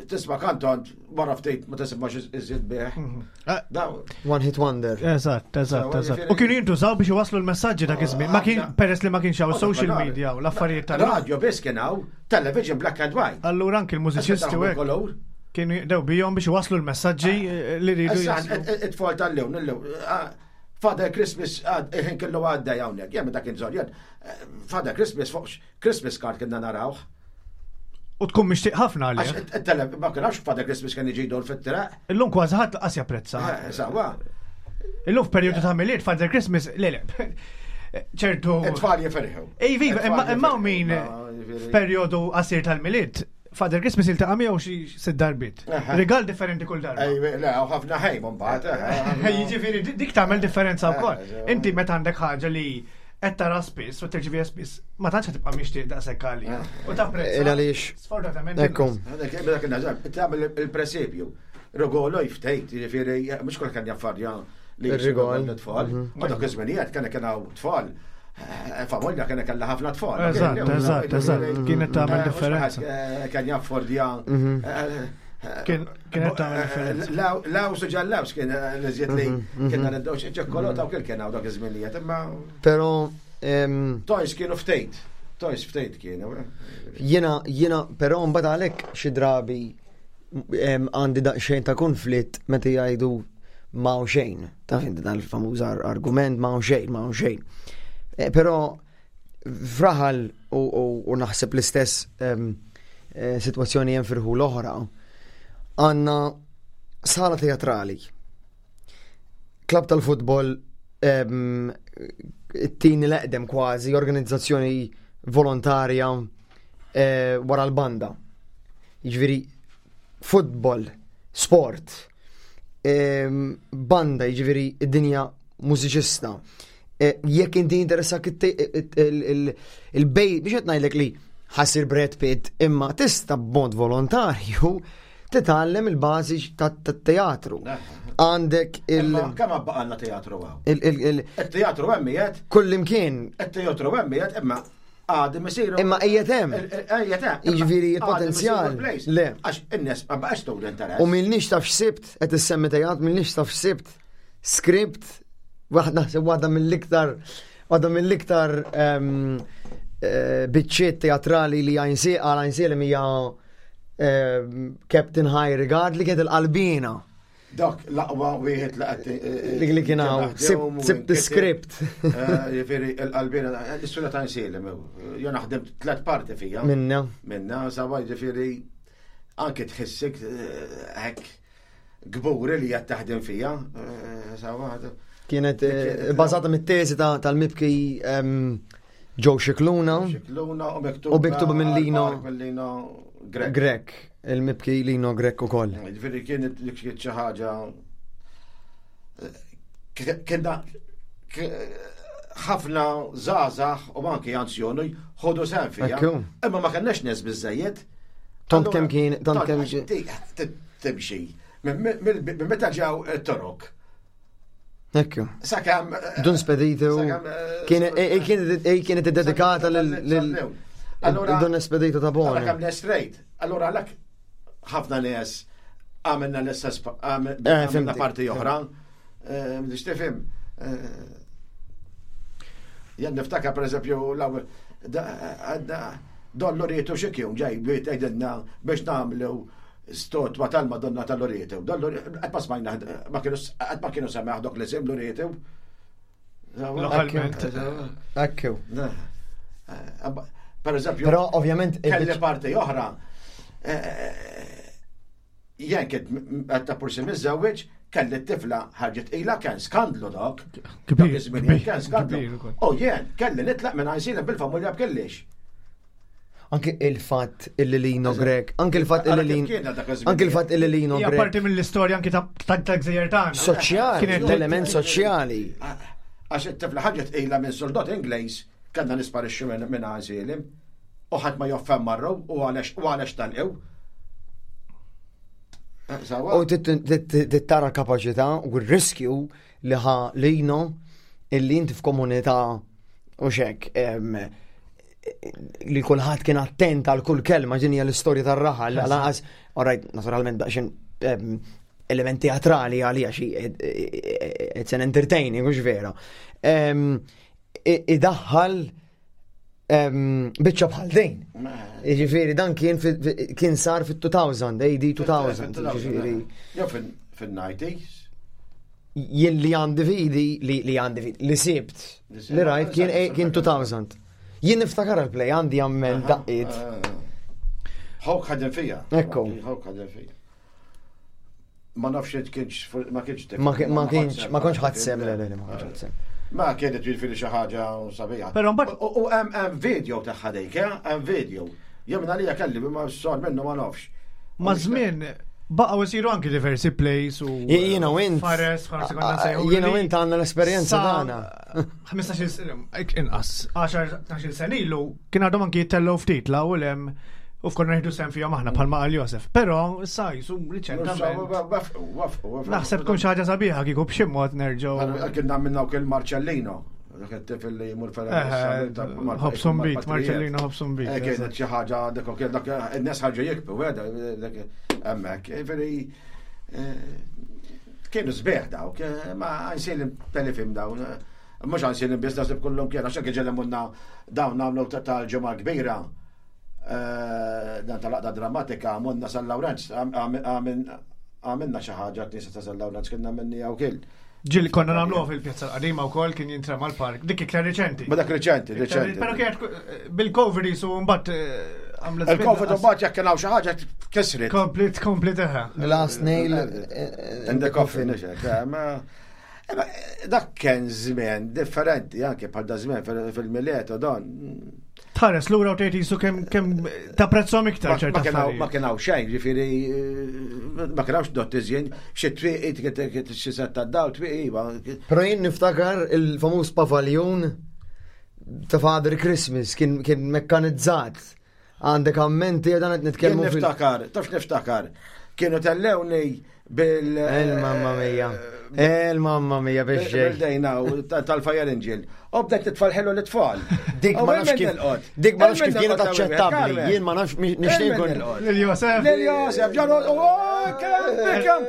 F: Tisma' kantant wara ftit ma tismax iżjed bih. Mhm.
G: Eh, One hit wonder.
E: Eżatt, eżatt, eżatt. U kienu jintużaw biex iwasslu l-messaġġi dak iż-żmien. Ma kien peress li ma kienx hawn social media u l-affarijiet
F: tal Radio biss kien hawn, television black and white.
E: Allura anki l-mużiċisti u hekk. Kienu jaqdew bihom biex iwasslu l-messaġġi eh, li rridu.
F: It-tfal tal-lewn, il-lewn. Ah, Father Christmas il-ħin kellu għaddej hawnhekk, jien meta kien żorjen, eh, Father Christmas fuq Christmas card kienna narawh.
E: U tkun mixtieq ħafna
F: għalih. Ma kienx Father Christmas kien jiġi jdor fit-triq.
E: Illum kważi ħadd qas japprezza.
F: Eh, sawa.
E: Illum f'perjodu ta' Milied Father Christmas, le le. ċertu.
F: It-tfal jiferħu.
E: Ej, viva, imma min f'perjodu qasir tal-Milied Father Christmas iltaqa' miegħu xi sitt darbiet. Rigal differenti kull darba.
F: Ej, le, ħafna ħejm mbagħad.
E: Jiġifieri dik tagħmel differenza wkoll. Inti meta għandek ħaġa li qed tara spiss u tirċiviha spiss, ma tantx qed tibqa' mixtieq daqshekk għali. U tapprezza.
G: Għaliex.
E: Sfortunatament.
G: Ekku.
F: Dak il-nażar, tagħmel il-presepju. Rigolo jftejt, jiġifieri mhux kull kien jaffarja li
G: Ir-rigol.
F: Tfal. U dak iż-żminijiet kien kien hawn tfal. Eh, familja kien kellha ħafna tfal.
E: Eżatt, eżatt, eżatt. Kienet tagħmel eh, differenza.
F: Eh, kien jaffordja.
G: Mhm.
E: Kienet tagħmel differenza.
F: Law su ġallaws kien l-iżjed li mhm, mhm. kien niddew ċekkolota u kien hawn dak iż-żminijiet, imma.
G: Però
F: Toys kienu ftejt. Toys ftejt kienu.
G: Jiena, jiena, però mbagħad għalhekk xi drabi għandi daqsxejn ta' konflitt meta jgħidu ma' xejn. Taf inti dal-famuż argument ma' xejn, ma' xejn. Eh, però fraħal u naħseb l-istess eh, situazzjoni hemm firħu l-oħra, għandna sala teatrali. Klab tal-futbol it-tieni l-eqdem kważi organizzazzjoni volontarja eh, wara l-banda. Jiġifieri futbol, sport, banda, jiġifieri id-dinja mużiċista. E, jekk inti interessak il-bej, biex qed ngħidlek li ħasir Brad Pitt, imma tista' b'mod volontarju titgħallem il-bażi tat-teatru. Għandek
F: il- Kemm baqalna teatru hawn? Il-teatru hemm qiegħed.
G: Kullimkien.
F: Il-teatru hemm qiegħed imma għadhom isiru.
G: Imma qiegħed hemm.
F: Qiegħed hemm.
G: Jiġifieri il-potenzjal.
F: Le. Għax in-nies ma baqax turu interess.
G: U milniex taf x'sibt, qed issemmi teatr, milniex taf x'sibt script, waħda naħseb waħda mill-iktar waħda mill-iktar ehm, eh, biċċiet teatrali li għajnsi għal għajnsielem hija ehm, Captain High Regard li kienet il-qalbina.
F: Dak l-aqwa wieħed li qed eh,
G: eh, li kien hawn sibt script.
F: Eh, jiġifieri l-qalbina l-istorja ta' nsielem. Jien naħdem tliet parti fija.
G: Minna.
F: Minna, sawa jiġifieri anke tħissek hekk gburi li qed taħdem fija. Sawa.
G: Kienet bażata mit-teżi tal-mibki ehm, Joe Scicluna.
F: Scicluna
G: u miktuba minn Lino.
F: Lino Grek.
G: Grek. Il-mibki Lino Grek ukoll.
F: Ġifieri kienet li kienet xi ħaġa kienna ħafna żgħażagħ u anki anzjoni ħodu sehem fiha. Imma ma kellniex nies biżejjed.
G: Tant kemm kien, tant kemm
F: timxi. Minn meta ġew it-Torok.
G: Ekku.
F: Sakemm.
G: Dun Spedito. Kienet dedikata lil. Allora. Dun Spedito ta' Bona.
F: Kemm straight. Allora għalhekk ħafna nies għamilna l-istess għamilna parti oħra. Biex tifhem. Jen niftakar per eżempju l-ewwel Don Lorietu xi kien ġej biex tgħidilna biex nagħmlu stotwa tal-Madonna tal-Lorietu. Don Lorietu qatt ma smajna ma kienu qatt ma kienu semmeħ dok l-isem Lorietu.
E: Lokalment.
G: Ekku.
F: Per eżempju,
G: Però ovvjament
F: kelli parti oħra. Jien kien ta' pursi miżżewweġ, kelli t-tifla ħarġet ila kien skandlu dok.
E: Kbir,
F: kien skandlu. U jien kelli nitlaq minn għajsina bil-familja b'kellix.
G: Anke il-fatt illi Lino Grek, anke il-fatt illi Lino, anke il-fatt illi Lino
E: Grek. Parti mill-istorja anke ta' gżejjer tagħna.
G: Soċjali, element soċjali.
F: Għax it-tifla ħarġet ila minn soldat Ingliż, kellna nisparixxu minn għażilim. U ħadd ma joffem marru u għalex tal-ew.
G: U tittara kapaċità u r-riskju li ħa Lino illi inti f'komunità u xek li kulħadd kien attent għal kull kelma ġinja l-istorja tar-raħal, għal alright, naturalment daqsxejn element teatrali għalija xi it's an entertaining, mhux vera. Idaħħal biċċa bħal din. Ġifieri dan kien kien sar fit-2000, AD 2000, ġifieri.
F: Jew fin-90s.
G: Jien li għandi fidi, li għandi fidi, li sibt, li rajt kien kien 2000. Jien niftakar il-play għandi għammel daqqiet.
F: Ħawk ħadem fija.
G: Ekku.
F: Ħawk ħadem fija. Ma nafx kienx, ma kienx
G: Ma kienx, ma kontx ħadd le, le, ma kontx ħadd
F: Ma kienet ġifieri xi ħaġa sabiħa.
E: Però mbagħad
F: U hemm video tagħha dik, eh? hemm video. Jew minn għalija kelli ma sar minnu ma nafx.
E: Ma żmien baqgħu jsiru anki diversi plays u
G: Jiena u int.
E: Fares, forsi konna nsejħu.
G: Jiena u int għandna l-esperjenza tagħna.
E: 15 sena, inqas, 10 sena ilu kien għadhom anki jittellgħu ftit la u lem u fkonna nieħdu sem fihom aħna bħalma qal Josef. Però issa jisu riċentament. Naħseb tkun xi ħaġa sabiħa kieku b'xi mod nerġgħu.
F: Kien għamilna wkoll Marcellino. Dak it-tifel li jmur
E: Hobson Beat, Marcellino Hobson Beat.
F: Kienet xi ħaġa dak dak in-nies ħarġu jikbu, dak hemmhekk. Veri kienu sbieħ dawk, ma għajnsil telefilm dawn. Mhux għajnsil biss naħseb kullum kien għax anke ġellem dawn nagħmlu tal-ġimgħa kbira. Dan tal-aqda drammatika monna San Lawrenz, għamilna xi ħaġa knisja ta' San Lawrenz kienna minni għaw kil.
E: Ġil konna nagħmluha fil-pjazza l-qadima wkoll kien jintrema l-park. Dik iktar reċenti.
F: Ma dak reċenti, reċenti.
E: Però kienet bil-Covid jisu mbagħad għamlet.
F: Il-Covid mbagħad jekk kien hawn xi ħaġa kisret.
E: Komplit, komplit eħe.
G: Last nail
F: in the coffin, ma dak kien żmien differenti anke bħal da żmien fil-Milied u dan.
E: Tħares lura u tgħid jisu kemm tapprezzhom iktar ċerta
F: Ma kien hawn xejn, ġifieri ma kien hawnx dottizjen, xi twieqi xi setta daw twieqi iva.
G: Però jien niftakar il-famuż pavaljun ta' Father Christmas kien mekkanizzat. Għandek ammenti dan qed nitkellmu
F: fil. Niftakar, taf niftakar. Kienu tellewni bil.
G: Il-mamma mia. Il-mamma mia biex ġej.
F: Bil-dejna tal-Fire Angel. U bdejt titfal ħelu l-tfal.
G: Dik ma nafx kif. Dik ma nafx kif kienet aċċettabbli. Jien ma nafx nixtieq nkun.
E: Lil Josef.
F: Lil Josef, ġanu, kemm kemm.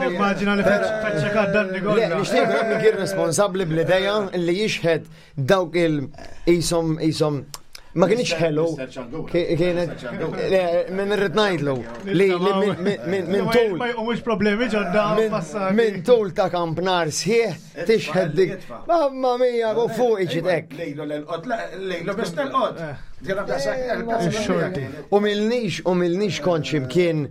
E: Nimmaġina li feċċa dan
G: Le, nixtieq nkun min kien responsabbli bl-idea li jixħed dawk il isom isom ma kienx ħelu. Kienet minn irrid ngħidlu li minn tul.
E: Ma jqumux problemi ġodda
G: Minn tul ta' kampnar sħiħ tixħed dik. Mamma mia, u fuq iġid hekk.
F: Lejlu l-qot, lejlu biss l-qot.
G: U milnix, u milnix kont ximkien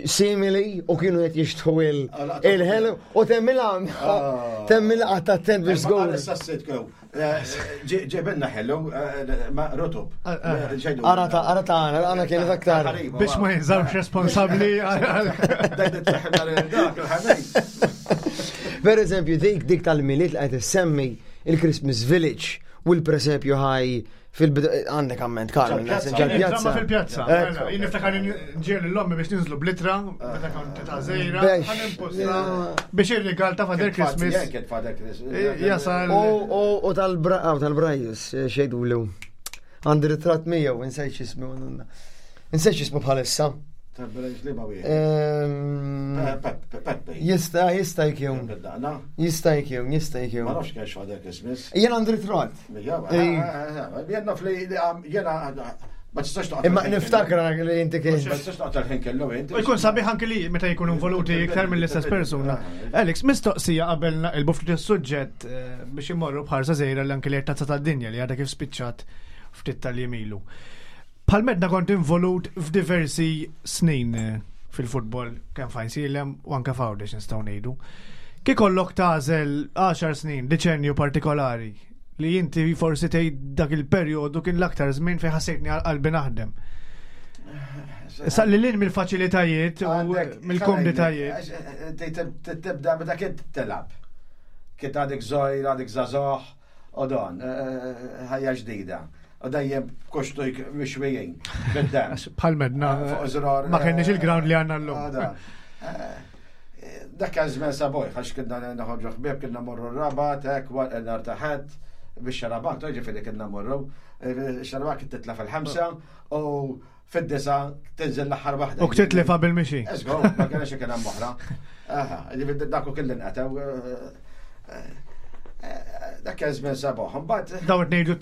G: simili u kienu qed jixtħu il-ħelu u temmilha ah. temmilha qatt attent biex żgur.
F: Issa sitkew. Eh, ġebenna ħelu eh, ma rotub.
G: Eh, ara ta' ara ta' għana kienet aktar.
E: Biex ma jinżawx responsabbli.
G: Per eżempju, dik dik tal-miliet li qed issemmi il-Christmas Village u l-presepju ħaj Fil-bidu, għandek amment, Karl,
E: ġal-pjazza. Fil-pjazza. Jien niftakar nġiel l-ommi biex ninżlu blitra, meta kont ta' zejra, biex ir-rigal ta' Father Christmas.
F: Christmas.
E: Jasal.
G: U tal-Brajus, xejdu l Għandi ritratt miegħu, insejt x'ismu. Insejt x'ismu bħalissa. Ehm, jista, jista jkun. Jista jkun, jista jkun.
F: Ma nafx kienx Father Christmas.
G: Jien għandi ritratt.
F: Jien naf li jena ma tistax toqgħod.
G: Imma niftakar li inti kien.
F: Ma tistax toqgħod tal-ħin kellu inti.
E: U jkun sabiħ anki li meta jkunu involuti iktar mill-istess persuna. Alex, mistoqsija qabel naqilbu ftit is-suġġett eh, biex imorru bħarsa żejra li anki li tazza tad-dinja li għadha kif spiċċat ftit tal-jemilu. Bħal medna kont involut f'diversi snin eh, fil-futbol kemm f'Għajnsielem u anke f'Għawdex nistgħu ngħidu. Kif kollok tagħżel 10 snin, deċenju partikolari li inti forsi tgħid dak il-perjodu kien l-aktar żmien fejn ħassejtni għal qalbi naħdem. Issa li lin mill-faċilitajiet u mill-komditajiet.
F: Eh, tibda meta kien telab. Kien għadek żgħir, għadek żagħżugħ, U dan, ħajja ġdida. U dejjem koxtujk mixwijin. Bid-dem.
E: Bħal medna. Ma kenniex il-ground li għandna llum.
F: Dak kien żmien saboj, għax kienna noħorġu ħbieb, kienna morru r-rabat, hekk, nhar ta' ħadd, biex xarabank, ġifieri kienna morru, xarabank titla' fil-ħamsa u fid-disa tinżel l-aħħar waħda.
E: U ktitlifa bil-mixi.
F: Eżgo, ma kienx kien hemm oħra. Aha, ġifieri dak u kelli nqatew. Eh, eh, dak kien żmien sabuħ. Imbagħad.
E: Dawn qed ngħidu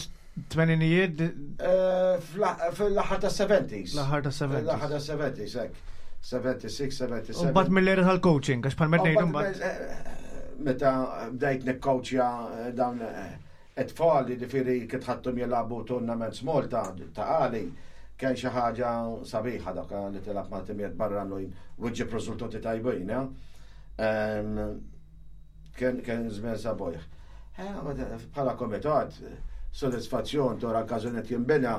E: tmeninijiet?
F: Eh, fl-aħħar tas-70s.
E: L-aħħar tas-70s.
F: L-aħħar tas-70s, hekk. 76, 77.
E: U mbagħad mill-era tal-coaching, għax bħal ngħidu mbagħad.
F: Meta bdejt nikkoċja dawn It-tfal, jiġifieri kif ħadthom jilagħbu tournaments Malta ta' Qali, kien xi ħaġa sabiħa dak li tilgħab ma' timijiet barranin u ġġib riżultati tajbin. Eh? Kien kien żmien sabiħ. Eh, bħala komitat, sodisfazzjon tora l-każunet jinbena,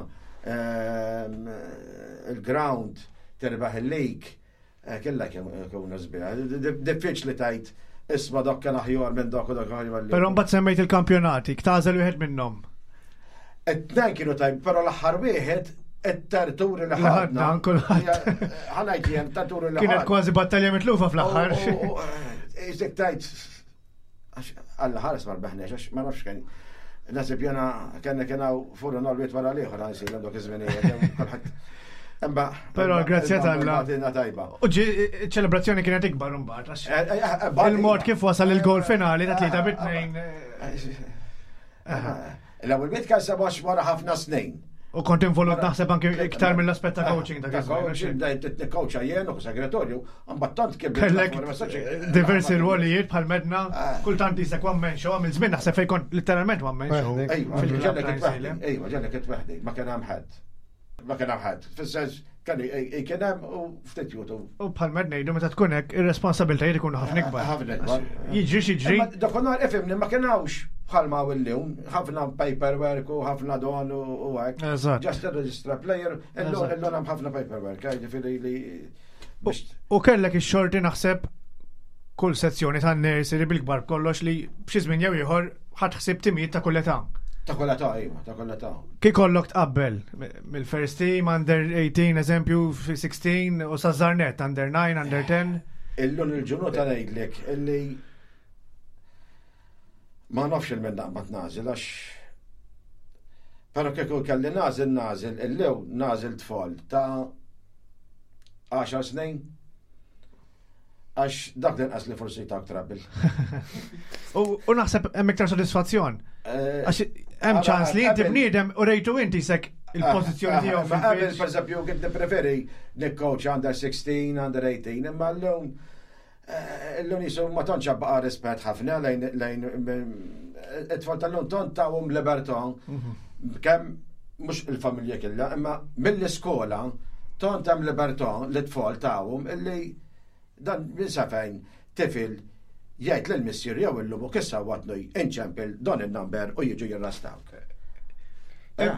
F: il-ground terbaħ il-league Eh, kella kemm sbiħa. Diffiċli tajt isma dak kien aħjar minn dak u dak aħjar.
E: Però mbagħad semmejt il-kampjonati, ktażel wieħed minnhom.
F: It-tnejn kienu tajb, però l-aħħar wieħed it-terturi li ħadna.
E: kulħadd.
F: Ħanajt jien terturi li
E: Kienet kważi battalja mitlufa fl-aħħar.
F: Iżek tajt Għax Alla ħares ma rbeħniex, għax ma nafx kien. Nasib jena kena kena furru nolwiet wara liħor għan silem dok iż-żminijiet. Imma.
E: Però grazzja tal-la.
F: tajba.
E: U ċelebrazzjoni kienet ikbar imbagħad.
F: Eh, eh, eh,
E: Il-mod kif wasal il-gol finali ta' tlieta bit-tnejn.
F: L-ewwel bit kien sebax wara ħafna snin.
E: U kont involut naħseb anke iktar mill-aspett ta' coaching
F: ta' coaching. Bdejt nikkoċa jien u segretorju, mbagħad tant kien
E: Kellek diversi rwolijiet bħal medna, ah. kultant jisek one man show, għamil żmien naħseb fejn kont literalment one man show.
F: Ejwa, ejwa, ġellek itweħdi, ma kien hemm ħadd. Ma kien hemm ħadd. Fis-sens kien kien hemm u ftit jutu.
E: U bħal med ngħidu meta tkun hekk ir-responsabilitajiet ikunu ħafna ikbar.
F: Ħafna ikbar.
E: Jiġri x'jiġri.
F: Dakinhar ifhimni ma kien hawnx bħalma hawn illum, ħafna paperwork u ħafna don u hekk.
E: Eżatt.
F: Just register player, illum illum hemm ħafna paperwork, eh, ġifieri li
E: U kellek ix-xorti naħseb kull sezzjoni tan nursery bil-kbar kollox li b'xi żmien jew ieħor ħadd ħsieb timijiet ta' kull età.
F: Ta' kull età, iva, ta' kull età.
E: Kif kollok tqabbel mill-first team under 18 eżempju 16 u sa żarnet under 9, under 10.
F: Illum il-ġurnata ngħidlek illi ma nafx il-min naqbad nażel għax Pero kieku kelli nażel nażel illew nażel tfal ta' 10 snin Għax dak l-inqas li forsi ta' trouble.
E: U naħseb hemm iktar sodisfazzjon. Eh, Għax hemm ċans li inti bniedem u rejtu inti sek il-pożizzjoni eh, tiegħu
F: fil Qabel pereżempju kien nippreferi nikcoach under 16, under 18, imma llum eh, illum jisu ma tantx baqa' rispett ħafna lejn lejn it-tfal tal-lum tant tawhom libertà mhm. kemm mhux il-familja kellha, imma mill-iskola. Tont hemm libertà li tfal tawhom illi dan minn sa fejn tifel jgħid lil missier jew illum u kissa watnu inċempil dan in-number u jiġu jirrastawk.
G: Eh,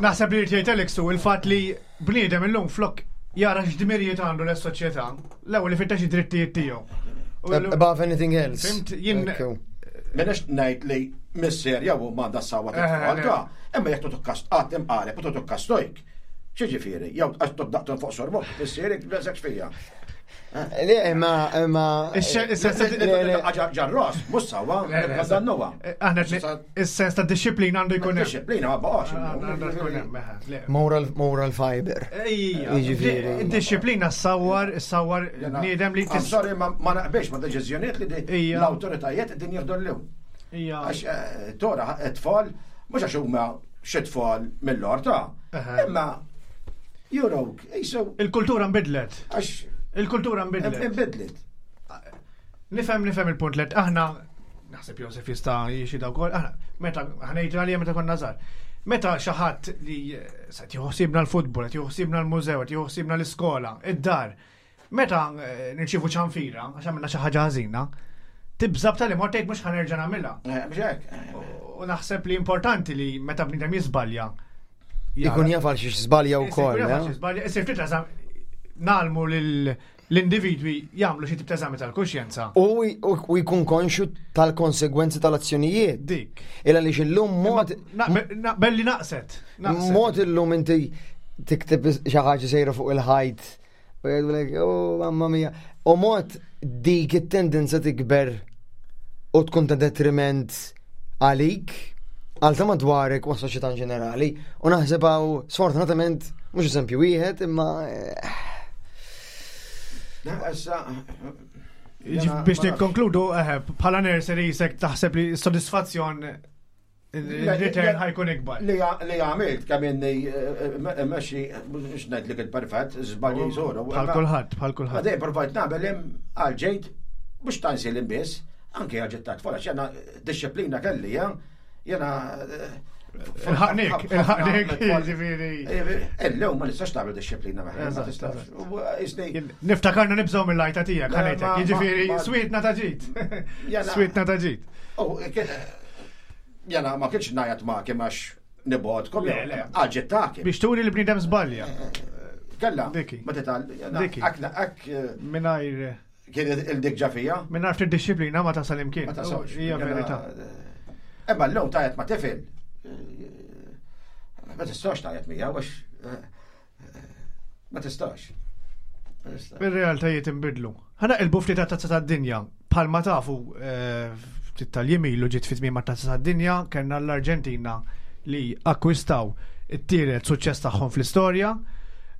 E: Naħseb li jgħid Alex hu il-fatt li bniedem illum flok jara x'dmirijiet għandu l-soċjetà, l-ewwel li fittex id-drittijiet tiegħu.
G: Above anything else.
E: Fimt, jien.
F: Minix ngħid li missier jew huma għandha sawa tit-tfal ta' imma jekk tutukkas qatt imqareb u tutukkas tojk. X'ġifieri, jew għax tobdaqtu fuq sorbok, missierek beżek fija.
G: Le, imma, imma.
F: Ġarros, mhux sawa, dannuha.
E: Aħna is-sens ta' disciplina għandu jkun hemm.
F: Disciplina ma baqax.
E: Għandu jkun hemm, le.
G: Moral, moral fiber.
E: Ejja.
G: Jiġifieri.
E: Id-disciplina ssawwar, ssawwar bniedem li
F: I'm sorry, ma naqbilx ma deċiżjonijiet li l-awtoritajiet din jieħdu llum.
E: Ija.
F: Għax eh, tora tfal, mhux għax huma xi tfal mill-orta, imma jurok, jisu.
E: Il-kultura nbidlet.
F: Għax.
E: Il-kultura nbidlet.
F: Nbidlet.
E: Nifhem nifhem il-punt let aħna naħseb Josef jista' jixi wkoll, aħna meta aħna jiġri għalija meta konna żgħar. Meta xi ħadd li eh, se tieħu ħsiebna l-futbol, qed jieħu ħsiebna l-mużew, qed jieħu ħsiebna l-iskola, id-dar. Meta eh, nirċievu ċanfira, għax għamilna xi ħaġa ħażina, tibża' b'tali mod tgħid mhux ħanerġa' nagħmilha.
F: Eh, mhux hekk.
E: U naħseb li importanti li meta bniedem jiżbalja.
G: Ikun jaf għal xiex żbalja wkoll.
E: Ikun jaf għal xiex żbalja, isir ftit nagħlmu lil l-individwi jagħmlu xi tip ta' eżami tal-kuxjenza.
G: U jkun konxu tal-konsegwenzi tal-azzjonijiet.
E: Dik.
G: Illa li illum mod.
E: Naqbel li naqset.
G: Mod illum inti tikteb xi ħaġa sejra fuq il-ħajt. U jgħidulek, oh, mamma mia. U mod dik it-tendenza tikber u tkun ta' detriment għalik, għal ta' madwarek u għas-soċjetà in ġenerali. U naħseb hawn sfortunatament mhux eżempju wieħed imma eh,
E: Biex nikkonkludu, eh, bħala nursery jisek taħseb li s-sodisfazzjon il-return ħajkun ikbar.
F: Li għamilt kemm inni eh, eh, meċi, mhux ngħidlek il-perfett, żbalji jżuru.
E: Bħal kulħadd, bħal kulħadd.
F: Għadej provajt nagħmel hemm għal ġejt mhux tansi l-imbiss, anke għal ġiet tat-tfal, għax jena disċiplina kelli, jena
E: Il-ħaqnik, il-ħaqnik, ġifiri.
F: Illum ma nistax tagħmel disċiplina ma tistax.
E: Niftakarna nibżgħu mill-lajta tiegħek, ħanejtek. Jiġifieri swietna ta' ġid. Swietna ta' ġid.
F: Jena ma kienx ngħajat ma kemm għax nibgħodkom. Għal ta'
E: Biex turi li bniedem żbalja.
F: Kella. Ma tital. Diki. Ak.
E: Mingħajr.
F: Kien il-dik ġafija.
E: Mingħajr ftit disċiplina ma tasal imkien.
F: Ma tasalx.
E: Hija verità.
F: Imma l-lum tajat ma tifel. Ma tistax tajat mija, għax ma tistax.
E: Ir-realtajiet inbidlu. Ħana il-bufti ta' tazza tad-dinja. Bħalma tafu eh, ftit tal-jiem ilu ġiet fi tmiem tazza tad-dinja kellna l-Arġentina li akkwistaw it-tielet suċċess tagħhom fl-istorja.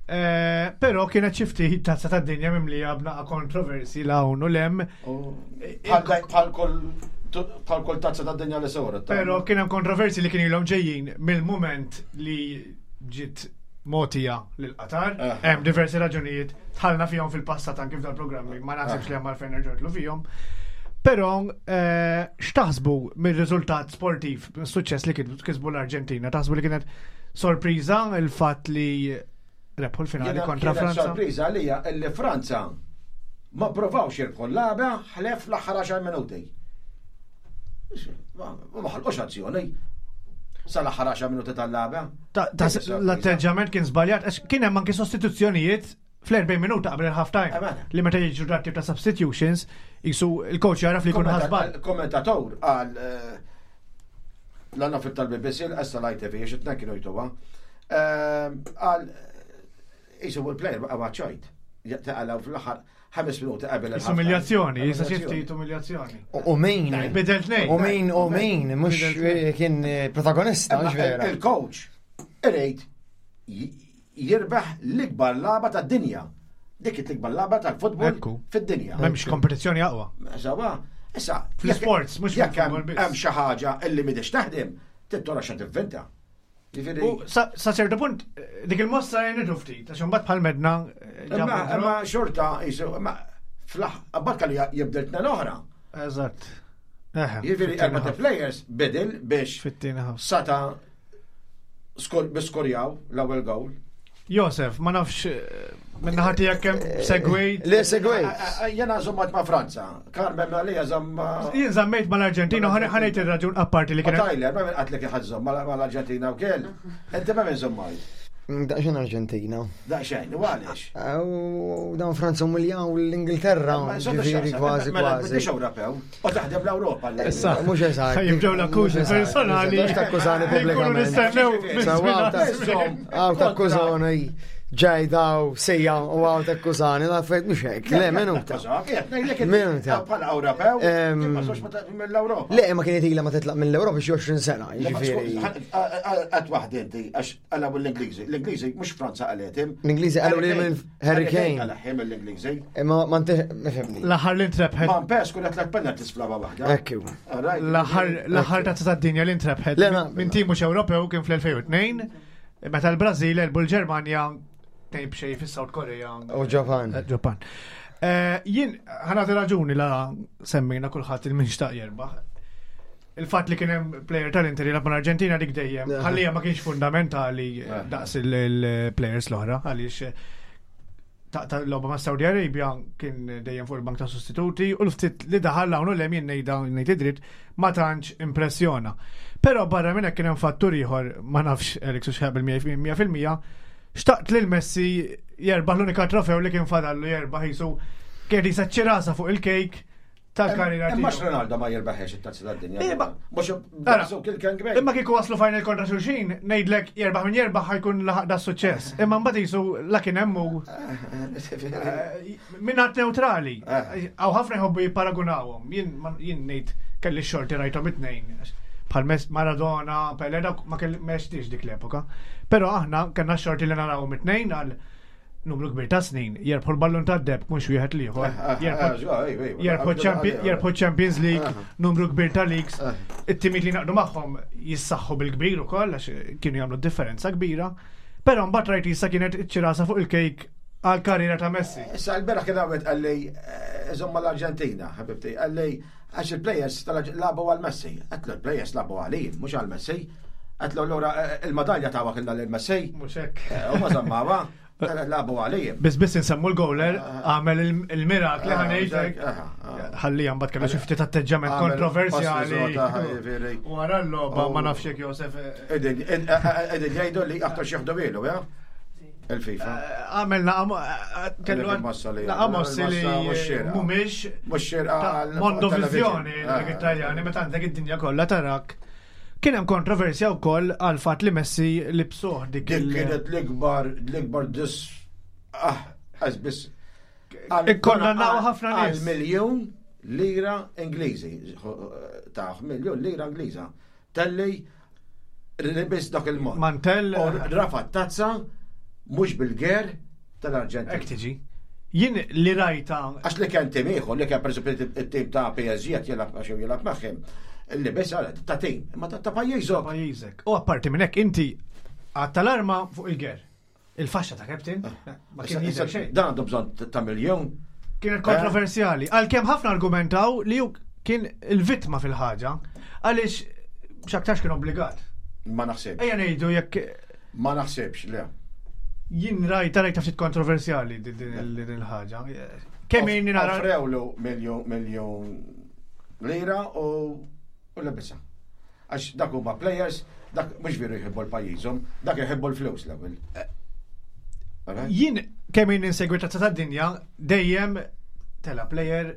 E: Eh, però kienet xi ftit tazza tad-dinja mimlija b'naqa kontroversi l hawn u lem.
F: Bħal kull tazza tad-dinja li soret.
E: Però kien hemm kontroversi li kien ilhom ġejjin mill-mument li ġiet mogħtija lil Qatar. Hemm diversi raġunijiet tħallna fihom fil-passat anki f'dal-programmi, ma naħsibx li hemm għalfejn nerġgħu fihom. Però eh, x'taħsbu mir-riżultat sportiv, suċċess li kisbu l-Arġentina? Taħsbu li kienet sorpriża il-fatt li rebħu l-finali kontra Franza?
F: Sorpriża għalija li Franza ma provawx jirbħu l-lagħba ħlef l-aħħar 10 minuti. Ma ħalqux azzjoni sal-aħħar 10 minuti tal-lagħba.
E: L-atteġġament kien żbaljat, għax kien hemm anki sostituzzjonijiet fl-40 minuta qabel il-half time.
F: Eh, mela.
E: Li meta jiġu dat tip ta' substitutions, jisu il-coach jaraf li jkun ħasbal.
F: Kommentator għal eh, l-għanna fil-tal-BBC, l-qessa l-ITV, xitna kienu jtuwa, eh, għal jisu il-player baqa ċajt. Taqalaw fl-aħħar ħames minuti qabel.
E: Umiljazzjoni, jisa xi ftit umiljazzjoni.
G: U min?
E: Bidel tnejn.
G: U min, u min, mhux kien protagonista, mhux vera.
F: Il-coach irid jirbaħ l-ikbar lagħba tad-dinja. Dik l-ikbar lagħba tal-futbol fid-dinja.
E: M'hemmx kompetizzjoni aqwa.
F: Sawa, issa.
E: Fl-sports, mhux
F: jekk hemm xi ħaġa illi m'idix taħdem, tittora xa tivvinta.
E: U sa ċertu punt, dik il-mossa jenitu ftit, għax imbagħad bħal medna. Eh,
F: imma xorta, jisu, imma fl abbat kalli jibdel tnen oħra.
E: Eżatt.
F: Jiġifieri erba' players bidel biex sata biskorjaw l-ewwel goal.
E: Josef, ma nafx eh, minna ħati jekk hemm eh, segwejt.
G: Le segwejt.
F: Eh, jena żommat ma' Franza. Carmen għalija żomma.
E: Jien żammejt mal-Arġentina u ħanejt ir-raġun apparti li
F: kien. Tyler, ma minn qatlek iħadd mal-Arġentina wkoll. Inti ma minn żommajt.
G: Daqxen Arġentina.
F: Daqxen, u għaliex?
G: U dan Franza umiljaw l-Ingilterra, ġifieri kważi
F: mela, kważi. Mhux Ewropew, u taħdem l-Ewropa.
E: Issa,
G: mhux eżatt.
E: Jibdew l-akkużi personali.
G: Mhux takkużani pubblikament. Għaw takkużani ġej daw sejja u għaw takkużani, la fejt mhux hekk. Le, minuta.
F: Minuta. Bħala Ewropew, mill-Ewropa.
G: Le, ma kienet ilha ma titlaq mill-Ewropa xi 20 sena,
F: jiġifieri. Qatt waħda inti għax Għalaw l-Ingliżi. L-Ingliżi mhux Franza għaletim.
G: L-Ingliżi għalaw li minn Harry Kane.
F: Għalaħim l-Ingliżi.
G: Imma ma nifhimni.
E: L-aħħar li ntrebħet.
F: Ma pes kull tlet penalties fl-lagħba waħda.
G: Ekku.
E: L-aħħar tazza tad-dinja li ntrebħet minn tim mhux Ewropew kien fl-2002 meta l-Brażil elbu l-Ġermanja tejn b'xejn fis-South Korea.
G: U Ġapan.
E: Eh, Ġapan. Eh, jien ħanati raġuni la semmejna kulħadd il-min xtaq jerbaħ. Il-fatt li kien hemm player tal-Inter jilgħab mal-Arġentina dik dejjem, ħallija ma kienx fundamentali eh, daqs il-players l-oħra, għaliex eh, ta' logħba ma' Saudi Arabia kien dejjem fuq il-bank ta' sostituti u l-ftit li daħal hawn u lem jien ngħidha ngħid id-dritt ma tantx impressjona. Però barra minn hekk kien hemm fattur ieħor ma nafx Eric su xħab il-100% xtaqt lil Messi jerbaħ l-unika trofew li kien fadallu jerbaħ jisu kien jisa ċirasa fuq il-kejk tal-karriera
F: tiegħu. Imma Ronaldo ma jirbaħx it-tazza tad-dinja.
E: Imma mhux Imma kieku waslu final kontra xulxin, ngħidlek jerbaħ min jerbaħ ħajkun laħaq da suċċess. Imma mbagħad jisu la kien hemm hu eh, minn għad neutrali. Eh. Għaw ħafna jħobbu jipparagunawhom. Jien ngħid kelli xorti rajthom it-tnejn. Bħal Maradona, Pele, dak ma kelli dik l-epoka. Però aħna kellna xorti li narawhom it-tnejn għal numru kbir ta' snin, jerbħu l-ballun ta' deb mhux wieħed liħor. Eh, eh, eh, jerbħu Champions League, numru kbir ta' leagues. It-timiet li naqdu magħhom jissaħħu bil-kbir ukoll għax kienu jagħmlu differenza kbira. Però mbagħad rajt issa kienet iċ-ċirasa fuq il-kejk għal karriera ta' Messi.
F: Issa l-beraħ kien għawet għalli iżomma l-Arġentina, ħabibti, għalli għax il-players labu għal Messi. Għatlu l-players labu għalli, mhux għal Messi. Għatlu l-ura il-madalja ta' wakilla l-Messi.
E: Mhux hekk.
F: U ma zammawa. Labu għalija.
E: Biss biss insemmu l-gowler, għamel il-mirakli ħanejtek. Ħalli mbagħad kellu xi ftit atteġġament kontroversjali. Wara l-logħba ma nafx jekk Josef.
F: Edin jgħidu li aktar xi jieħdu ja? Il-FIFA.
E: Għamel kellu naqamossi li mhumiex
F: mhux xierqa
E: mondovizjoni l-Italjani meta għandek id-dinja kollha tarak. Kien hemm kontroversja wkoll għal fatt li Messi libsuh
F: dik il- kienet l-ikbar l-ikbar dis ah biss.
E: Ikkondannaw ħafna
F: nies. Għal miljun lira Ingliżi. Ta' miljun lira Ingliża. Telli libis dak il-mod.
E: Mantell.
F: Rafa tazza mhux bil-ger tal-Arġentina.
E: Hekk tiġi. Jien li rajta.
F: Għax li kien tim ieħor, li kien pereżempju it-tim ta' PSG qed jilgħab għax jilgħab magħhom, li biss għal ta' tim, imma ta' pajjiżok.
E: Pajjiżek. U apparti minn hekk inti għad tal-arma fuq il-ger. Il-faxxa ta' captain, ah. ma kien jidher xejn.
F: Dan għandu bżonn ta' miljun.
E: Kienet kontroversjali. Għalkemm ħafna argumentaw li hu kien il-vittma fil-ħaġa, għaliex x'aktarx kien obbligat.
F: Ma naħsibx.
E: Ejja ngħidu jekk
F: Ma naħsibx, le.
E: Jien rajta rajta ftit kontroversjali din il-ħaġa. Kemm inni
F: nara. Offrewlu miljon lira u lebisa. Għax dak huma players, dak mhux veru jħibbu l-pajjiżhom, dak jħibbu l-flus l-ewwel.
E: Jien kemm inni nsegwi tazza tad-dinja dejjem tela player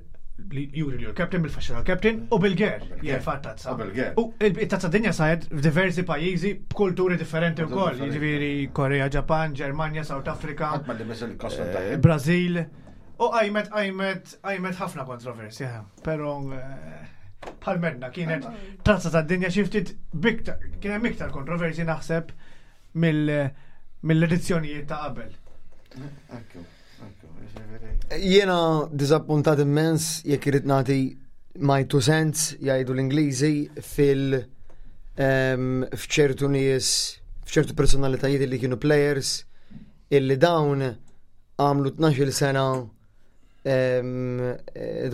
E: li juri li l-captain bil-faxxa tal-captain u bil-ger jerfa' tazza. U il-tazza dinja saret f'diversi pajjiżi b'kulturi differenti wkoll, jiġifieri Korea, Ġapan, Ġermanja, South Africa, eh, Brażil. U qajmet qajmet qajmet ħafna kontroversja, però eh, bħal medna kienet tazza tad-dinja xi ftit kien hemm iktar kontroversji naħseb mill-edizzjonijiet ta' qabel.
G: Jiena diżappuntat immens jekk irid nagħti my two cents jgħidu l-Ingliżi fil f'ċertu nies f'ċertu personalitajiet li kienu players illi dawn għamlu 12 sena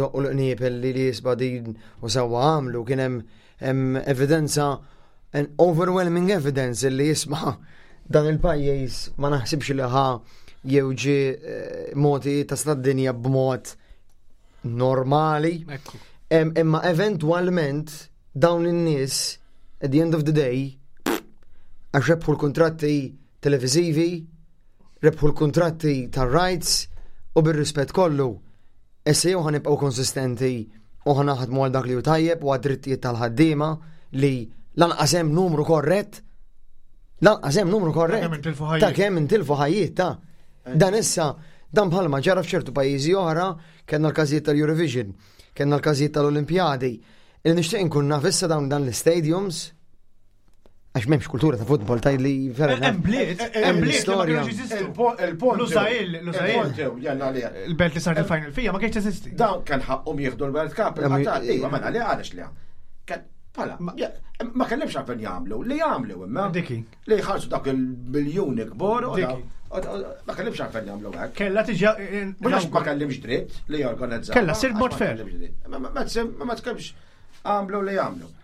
G: doqqu l-qniepel li li jisba din u sewwa għamlu kien hemm evidenza an overwhelming evidence li jisma. Dan il-pajjiż ma naħsibx li ħa jew ġie eh, moti ta' dinja b'mod normali. Imma eventwalment dawn in-nies at the end of the day għax rebħu l-kuntratti televiżivi, rebħu l-kuntratti tar-rights u bir-rispett kollu. Issa jew ħanibqgħu konsistenti u ħanaħdmu għal dak li hu tajjeb u għad-drittijiet tal-ħaddiema li lanqas hemm numru korrett, lanqas hemm numru korrett. Ta' kemm intilfu ħajjiet ta' dan issa dan bħalma ġara f'ċertu pajjiżi oħra kellna l-każijiet tal-Eurovision, kellna l-każijiet tal-Olimpjadi. Il nixtieq inkun naf issa dawn dan l-stadiums għax m'hemmx kultura ta' futbol taj li
E: vera. Hemm bliet, hemm bliet storja.
F: Il-punt.
E: Lusail, Lusail. Il-belt li sar il-final fija ma kienx teżisti.
F: Dawn kien ħaqqhom jieħdu l-World Cup, iva mela li għaliex li Pala, ma kellimx għalfejn jagħmlu, li jagħmlu imma.
E: Diki.
F: Li jħallsu dak il-miljuni kbar. Ma kellimx għalfejn jagħmlu hekk.
E: Kella tiġi.
F: Mhux ma kellimx dritt li jorganizzaw.
E: Kella sir mod fair.
F: Ma tkellmx għamlu li jagħmlu.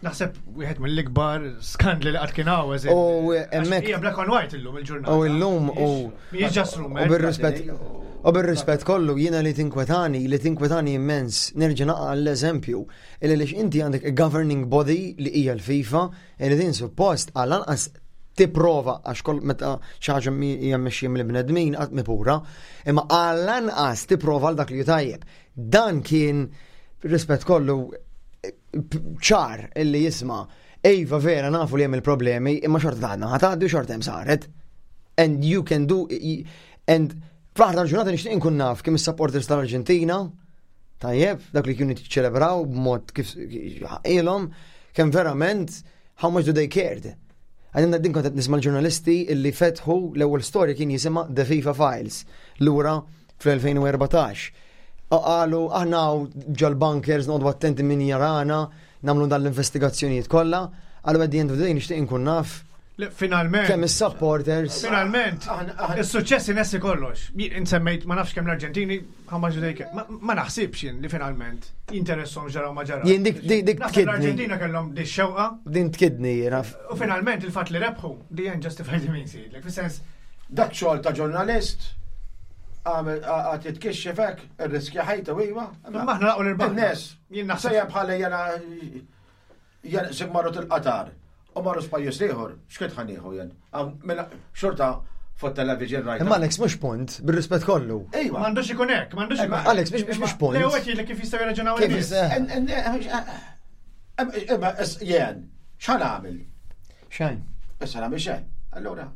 E: Naħseb wieħed mill-ikbar skandli li qatt kien hawn eżempju.
G: U hemmhekk.
E: Hija black on white illum il-ġurnata.
G: U illum u.
E: Mhijiex just rumor.
G: U bir-rispett. U bir-rispett kollu jiena li tinkwetani, li tinkwetani immens, nerġa' naqa' l-eżempju, illi lix inti għandek a governing body li hija l-FIFA, illi din suppost għal anqas tipprova għax kol meta xi ħaġa hija mmexxija mill-bnedmin qatt mi pura, imma għal anqas tipprova għal dak li hu tajjeb. Dan kien rispett kollu ċar illi jisma' Ejva vera nafu li hemm il-problemi, imma xorta taħdna ħatgħaddi u xorta hemm saret. And you can do and fl-aħħar tal-ġurnata nixtieq inkun naf kemm is-supporters tal-Arġentina tajjeb, dak li kienu jiċċelebraw b'mod kif ilhom, kemm verament how much do they cared. Għadin din kont qed nisma' l-ġurnalisti illi fetħu l-ewwel storja kien jisimha The FIFA Files lura fl-2014. Qalu aħna ġol-bunkers noqogħdu attenti min jarana, nagħmlu dan l-investigazzjonijiet kollha. Qalu at the end of the day nixtieq inkun naf
E: Finalment.
G: Kemm is-supporters.
E: Finalment. Is-suċċess inessi kollox. Insemmejt ma nafx kemm l-Arġentini ħamma ġudejke. Ma naħsibx jien li finalment jinteressom ġaraw ma ġaraw.
G: Jien dik dik
E: tkidni. L-Arġentina kellhom di xewqa.
G: Din tkidni jiena.
E: U finalment il-fatt li rebħu, di jen justify the means. Fis-sens.
F: Dak xogħol ta' ġurnalist għad jitkixxef hekk, irriskja ħajtu iva.
E: Imma aħna laqgħu l-irbaħ.
F: Nies,
E: Jien naħseb.
F: Sejja bħala jena jena se marru til-Qatar u marru spajjeż ieħor, x'kien ħa nieħu jien? Mela, xorta fuq television rajt.
G: Imma Alex mhux punt, bir-rispett kollu.
F: Ejwa.
E: M'għandux ikun hekk, m'għandux ikun.
G: Alex mhux mhux punt.
E: Le huwa kif jistgħu jirraġunaw
G: in-nies.
F: Imma jien, x'ħa nagħmel?
G: Xejn.
F: Issa nagħmel xejn. Allura.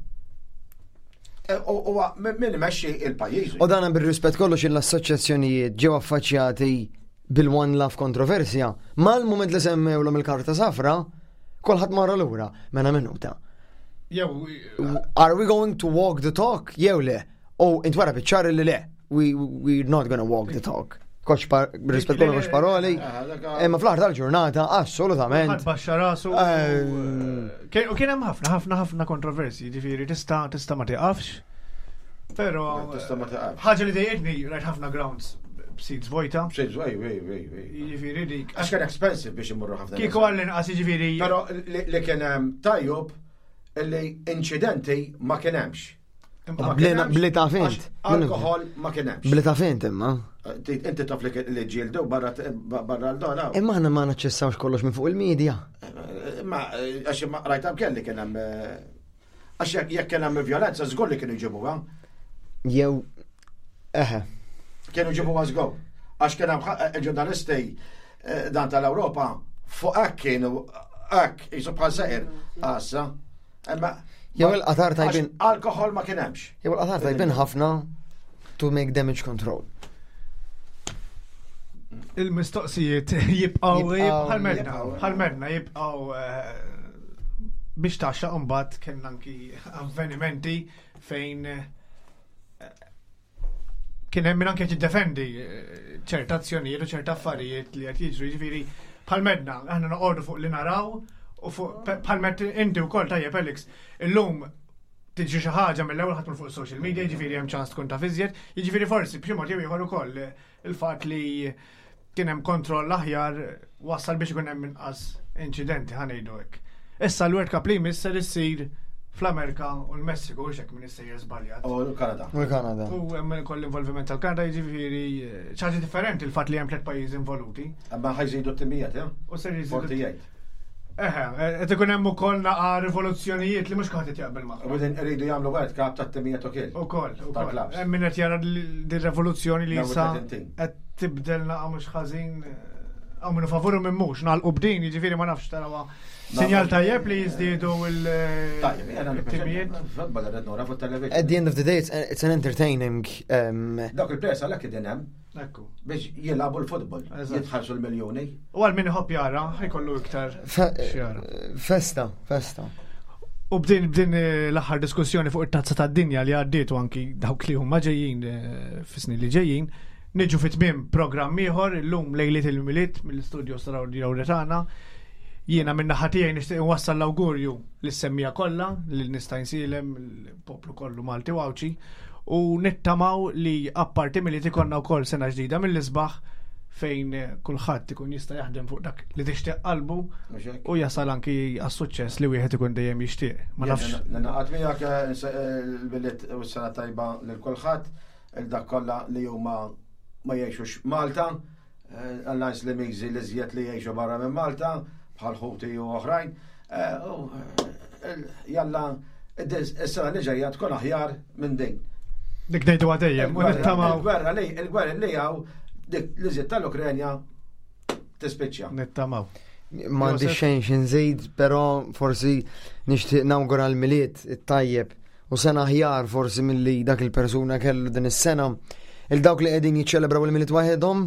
F: E, u min imexxi il-pajjiż.
G: U dan bir-rispett kollox l-assoċjazzjonijiet ġew affaċċjati bil-One Love kontroversja, mal-mument li semmewlhom il-karta safra, kulħadd marra lura mela minuta.
E: Jew
G: Are we going to walk the talk? Jew le. U intwara biċ-ċar li le. We, we're not gonna walk the talk. Koċ par, rispett kollu koċ paroli. Imma fl-aħħar tal-ġurnata, assolutament.
E: Ħadd baxxa rasu. U kien hemm ħafna, ħafna, ħafna kontroversi, ġifieri tista' tista' ma tiqafx. Però
F: Tista' ma tiqafx.
E: Ħaġa li dejjqitni rajt ħafna grounds b'seats vojta.
F: B'seats, ej, ej, ej, ej.
E: Jiġifieri dik.
F: Għax kien expensive biex imorru ħafna.
E: Kieku għall-inqas jiġifieri.
F: Però li kien hemm tajjeb li inċidenti ma kien hemmx.
G: Bli ta' fint.
F: Alkohol ma kien hemmx.
G: Bli ta' fint imma.
F: Inti taf li ġildu barra l-dona.
G: Imma aħna ma naċċessawx kollox minn fuq il-medja.
F: Imma għax ma rajta kelli kien hemm għax jekk kien hemm violenza żgur li kienu jġibuha.
G: Jew eħe.
F: Kienu jġibuha żgur. Għax kien hemm ġurnalisti eh, dan tal-Ewropa fuq hekk kienu hekk jisu bħal seqir għassa. Imma
G: Jew il-qatar tajbin.
F: Alkohol ma kien hemmx.
G: Jew il-qatar tajbin ħafna to make damage control.
E: Il-mistoqsijiet jibqaw bħal-medna, bħal-medna jibqaw eh, biex taxxa mbagħad kien anki avvenimenti fejn eh, Kien hemm min anke qed jiddefendi eh, ċerta azzjonijiet u ċerta affarijiet li qed jiġru, jiġifieri bħal medna, aħna noqogħdu fuq li naraw u fuq bħal med inti wkoll tajjeb Alex, illum tiġi xi ħaġa mill-ewwel ħadd fuq social media, jiġifieri hemm ċans tkun taf iżjed, jiġifieri forsi b'xi mod jew ieħor ukoll eh, il-fatt li kien hemm kontroll aħjar wassal biex ikun hemm inqas inċidenti ħa ngħidu hekk. Issa l-World Cup li jmiss ser issir fl-Amerika u l-Messiku, hux hekk min issejjer żbaljat.
F: U l-Kanada.
G: U l-Kanada.
E: U hemm ukoll l-involviment tal-Kanada jiġifieri eh, ċaġa differenti il-fatt li hemm tliet pajjiżi involuti.
F: Imma ħajżidu t-timijiet, eh?
E: U ser jiżidu.
F: 48.
E: Eħe, eh, qed ikun hemm ukoll naqa' rivoluzzjonijiet li mhux kulħadd qed jaqbel magħhom.
F: U din iridu jagħmlu World Cup tat-timijiet ukoll.
E: Ukoll, ukoll.
F: Tal-clubs.
E: Hemm min qed jara din rivoluzzjoni li
F: Dawn
E: issa
F: it-tletin.
E: qed tibdel naqa' mhux ħażin. Hawn minnu favur u minn mhux, nagħlqu b'din, jiġifieri ma nafx tarawha. Sinjal tajjeb li jiżdiedu
F: Tajjeb, jena
E: il-timijiet.
F: Football rrid nora fuq television.
G: At the end of the day, it's, it's an entertaining um,
F: Dawk il-players għalhekk qegħdin hemm
E: Ekku.
F: biex jilagħbu l-futbol,
E: Eżatt.
F: jitħallsu l-miljuni.
E: U għal min iħobb jara, ħajkollu iktar
G: fe
E: xjara.
G: festa, festa.
E: U b'din b'din eh, l-aħħar diskussjoni fuq it-tazza tad-dinja li għaddiet u anki dawk li huma ġejjin eh, fis-snin li ġejjin, niġu fi tmiem programm ieħor illum lejliet il-Milied mill-istudio Saraw tagħna. Jiena minn naħa tiegħi nixtieq inwassal l-awgurju lis-semmija kollha lil nista' nsilem il-poplu kollu Malti u Għawdxi u nittamaw li apparti milli ikollna wkoll sena ġdida mill-isbaħ fejn eh, kulħadd ikun jista' jaħdem fuq dak li tixtieq qalbu
F: Mhux hekk?
E: u jasal anki għas-suċċess li wieħed ikun dejjem jixtieq. Ma nafx.
F: Naqgħod miegħek eh, eh, l-billet u s-sena tajba lil kulħadd, il dak kollha li huma ma jgħixux Malta, eh, għall li miżi li żjed li jgħixu barra minn Malta, bħal ħuti u oħrajn. Eh, u, eh, Jalla, is-sena li ġejja tkun aħjar minn din.
E: Dik ngħidu għadejjem u nittamaw.
F: Il-gwerra li il-gwerra li hawn dik li żied tal-Ukrenja tispiċċa.
E: Nittamaw.
G: M'għandi
E: Josef?
G: xejn xi nżid, però forsi nixtieq nawgura l-Milied it-tajjeb u sena aħjar forsi milli dak il-persuna kellu din is-sena. Il dawk li qegħdin jiċċelebraw il-Milied waħedhom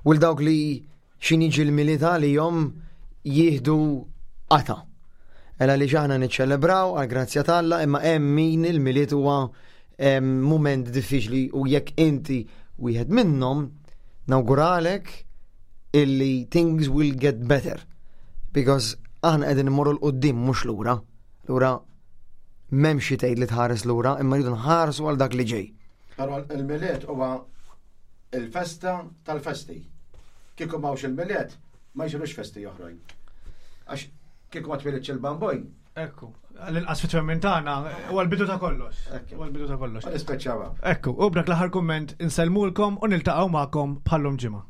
G: u l dawk li x'in jiġi l-Milied għalihom jieħdu qata. Ela li aħna niċċelebraw għal grazzja t'Alla imma hemm min il-Milied huwa em, mument diffiċli u jekk inti wieħed minnhom nawguralek illi things will get better because aħna qegħdin immorru 'l quddiem mhux lura. Lura m'hemm xi tgħid li tħares lura imma rridu nħarsu għal dak li ġej.
F: Però il-Milied huwa il-festa tal-festi. Kieku m'hawnx il-Milied ma jsirux festi oħrajn. Għax kieku ma twilidx il-bamboj,
E: Ekku. L-inqas fit-twemmin tagħna huwa l-bidu ta' kollox.
F: Ekku.
E: Huwa l-bidu ta' kollox.
F: ma nispeċċaw.
E: Ekku, u b'dak l-aħħar kumment insellmulkom u niltaqgħu magħkom bħallum ġimgħa.